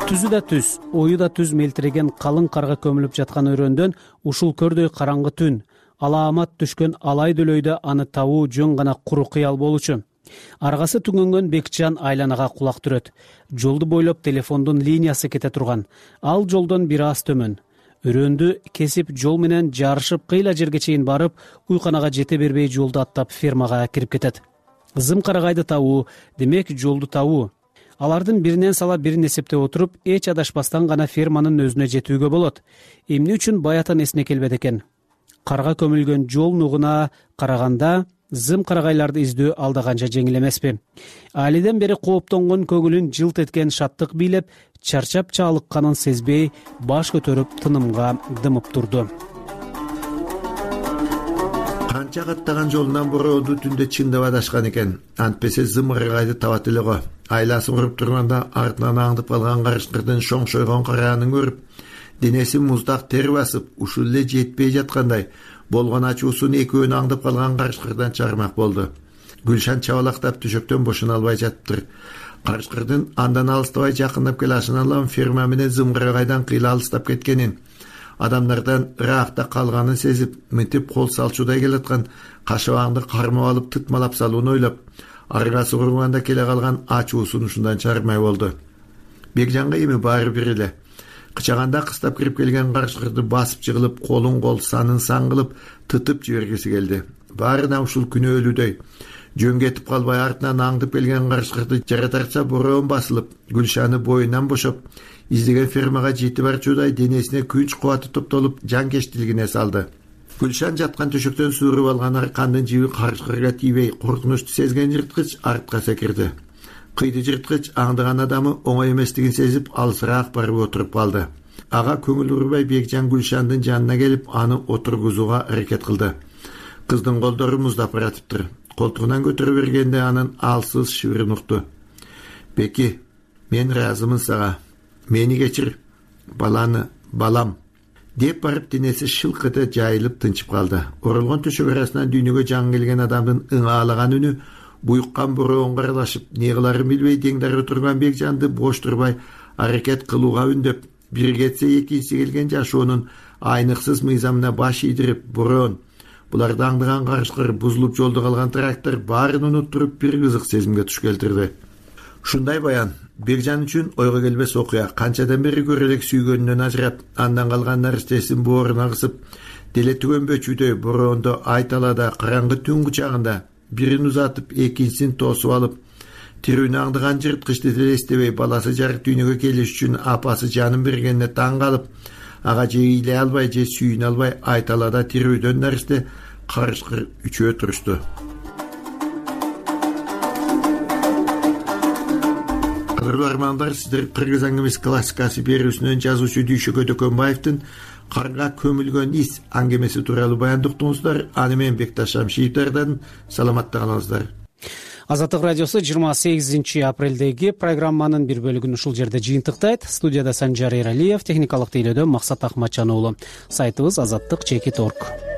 Түзү да түз, ою да түз мелтиреген калың карга көмүлүп жаткан өрөөндөн ушул көрдөй караңгы түн, алаамат түшкөн алай дөйлөйдө аны табуу жөн гана куру кыял болчу. Аргасы түгөнгөн Бекжан айланага кулак түрөт. Жолду бойлоп телефондун линиясы кете турган. Ал жолдон бир аз төмөн. Өрөөндү кесип жол менен жарышып кыйла жерге чейин барып, уйканага жете бербей жолду аттап фермага кирип кетет. Зым карагайды табуу, демек жолду табуу. Алардын биринен сала бирин эсептеп отуруп, эч адашпастан гана ферманын өзүнө жетүүгө болот. Эмне үчүн баятан эсине келбейт экен? Карга көмүлгөн жол нугуна караганда зым карагайларды издөө алда канча жеңил эмеспи? Алиден бери кооптонгон көңүлүн жылт эткен шаттык бийлеп, чарчап чалыкканын сезбей, баш көтөрүп тынымга дымып турду. Канча каттаган жолунан борооду түндө чындап адашкан экен. Антпесе зымыргайды табат эле го. Айласы уруп турганда артынан аңдып калган карышкырдын шоңшойгон караанын көрүп, денеси муздак тер басып, ушул эле жетпей жаткандай болгон ачуусун экөөнү аңдып калган карышкырдан чыгармак болду. Гүлшан чабалактап төшөктөн бошоно албай жатыптыр. Карышкырдын андан алыстабай жакындап келашын алам ферма менен зымгырагайдан кыйла алыстап кеткенин, адамдардан ыраакта калганын сезип, мынтип кол салчудай келаткан кашабаңды кармап алып тытмалап салууну ойлоп, аргасы курганда келе калган ачуусун ушундан чыгармай болду. Бекжанга эми баары бир эле. Кычаганда кыстап кирип келген карышкырды басып жыгылып, колун кол санын сан кылып тытып жибергиси келди. Баарына ушул күнөөлүүдөй. Жөн кетип калбай артынан аңдып келген карышкырды жаратарча бороон басылып, Гүлшаны боюнан бошоп, издеген фермага жетип барчудай денесине күч кубаты топтолуп, жанкечтилигине салды. Гүлшан жаткан төшөктөн suurуп алган аркандын жиби карышкырга тийбей, коркунучту сезген жырткыч артка секирди. Кыйды жырткыч аңдыган адамы оңой эместигин сезип, алысыраак барып отуруп калды. Ага көңүл урбай Бекжан Гүлшандын жанына келип, аны отургузууга аракет кылды. Кыздын колдору муздап баратыптыр. Колтугунан көтөрүп бергенде анын алсыз шыбырын укту. "Беки, мен ыраазымын сага. Мени кечир. Балам" деп барып денеси шылк эте жайылып тынчып калды. Оролгон төшөк арасынан дүйнөгө жаңы келген адамдын ыңаалаган үнү буйуккан бороонго аралашып, не кыларын билбей деңдер отурган Бекжанды бош турбай аракет кылууга үндөп, бири кетсе экинчиси келген жашоонун айныксыз мыйзамына баш ийдирип, бороон, буларды аңдыган карышкыр, бузулуп жолдо калган трактор баарын унуттуруп бир кызык сезимге туш келтирди. Ушундай баян Бекжан үчүн ойго келбес окуя. Канчадан бери көрө элек сүйгөнүнөн ажырап, андан калган наристесин бооруна кысып, деле түгөнбөчүдөй бороондо айталада караңгы түн кучагында бирин узатып, экинчисин тосуп алып, тирүүнү аңдыган жырткычты деле эстебей баласы жарык дүйнөгө келиш үчүн апасы жанын бергенине таң калып, ага же ыйлай албай, же сүйүнө албай айталада тирүүдөн наристе карышкыр үчөө турушту. Кадырлуу армандар, сиздер Кыргыз аңгемеси классикасы берүүсүнөн жазуучу Дүйшөкө Дөкөнбаевдин карга көмүлгөн ис аңгемеси тууралуу баяндоо уктуңуздар. Аны менен Бекташ Шамшиевдерден саламатта калыңыздар. Азаттык радиосу 28 апрелдеги программанын бир бөлүгүн ушул жерде жыйынтыктайт. Студияда Санжар Эралиев, техникалык тейлөөдө Максат Акматжан уулу. Сайтыбыз azаттык.org.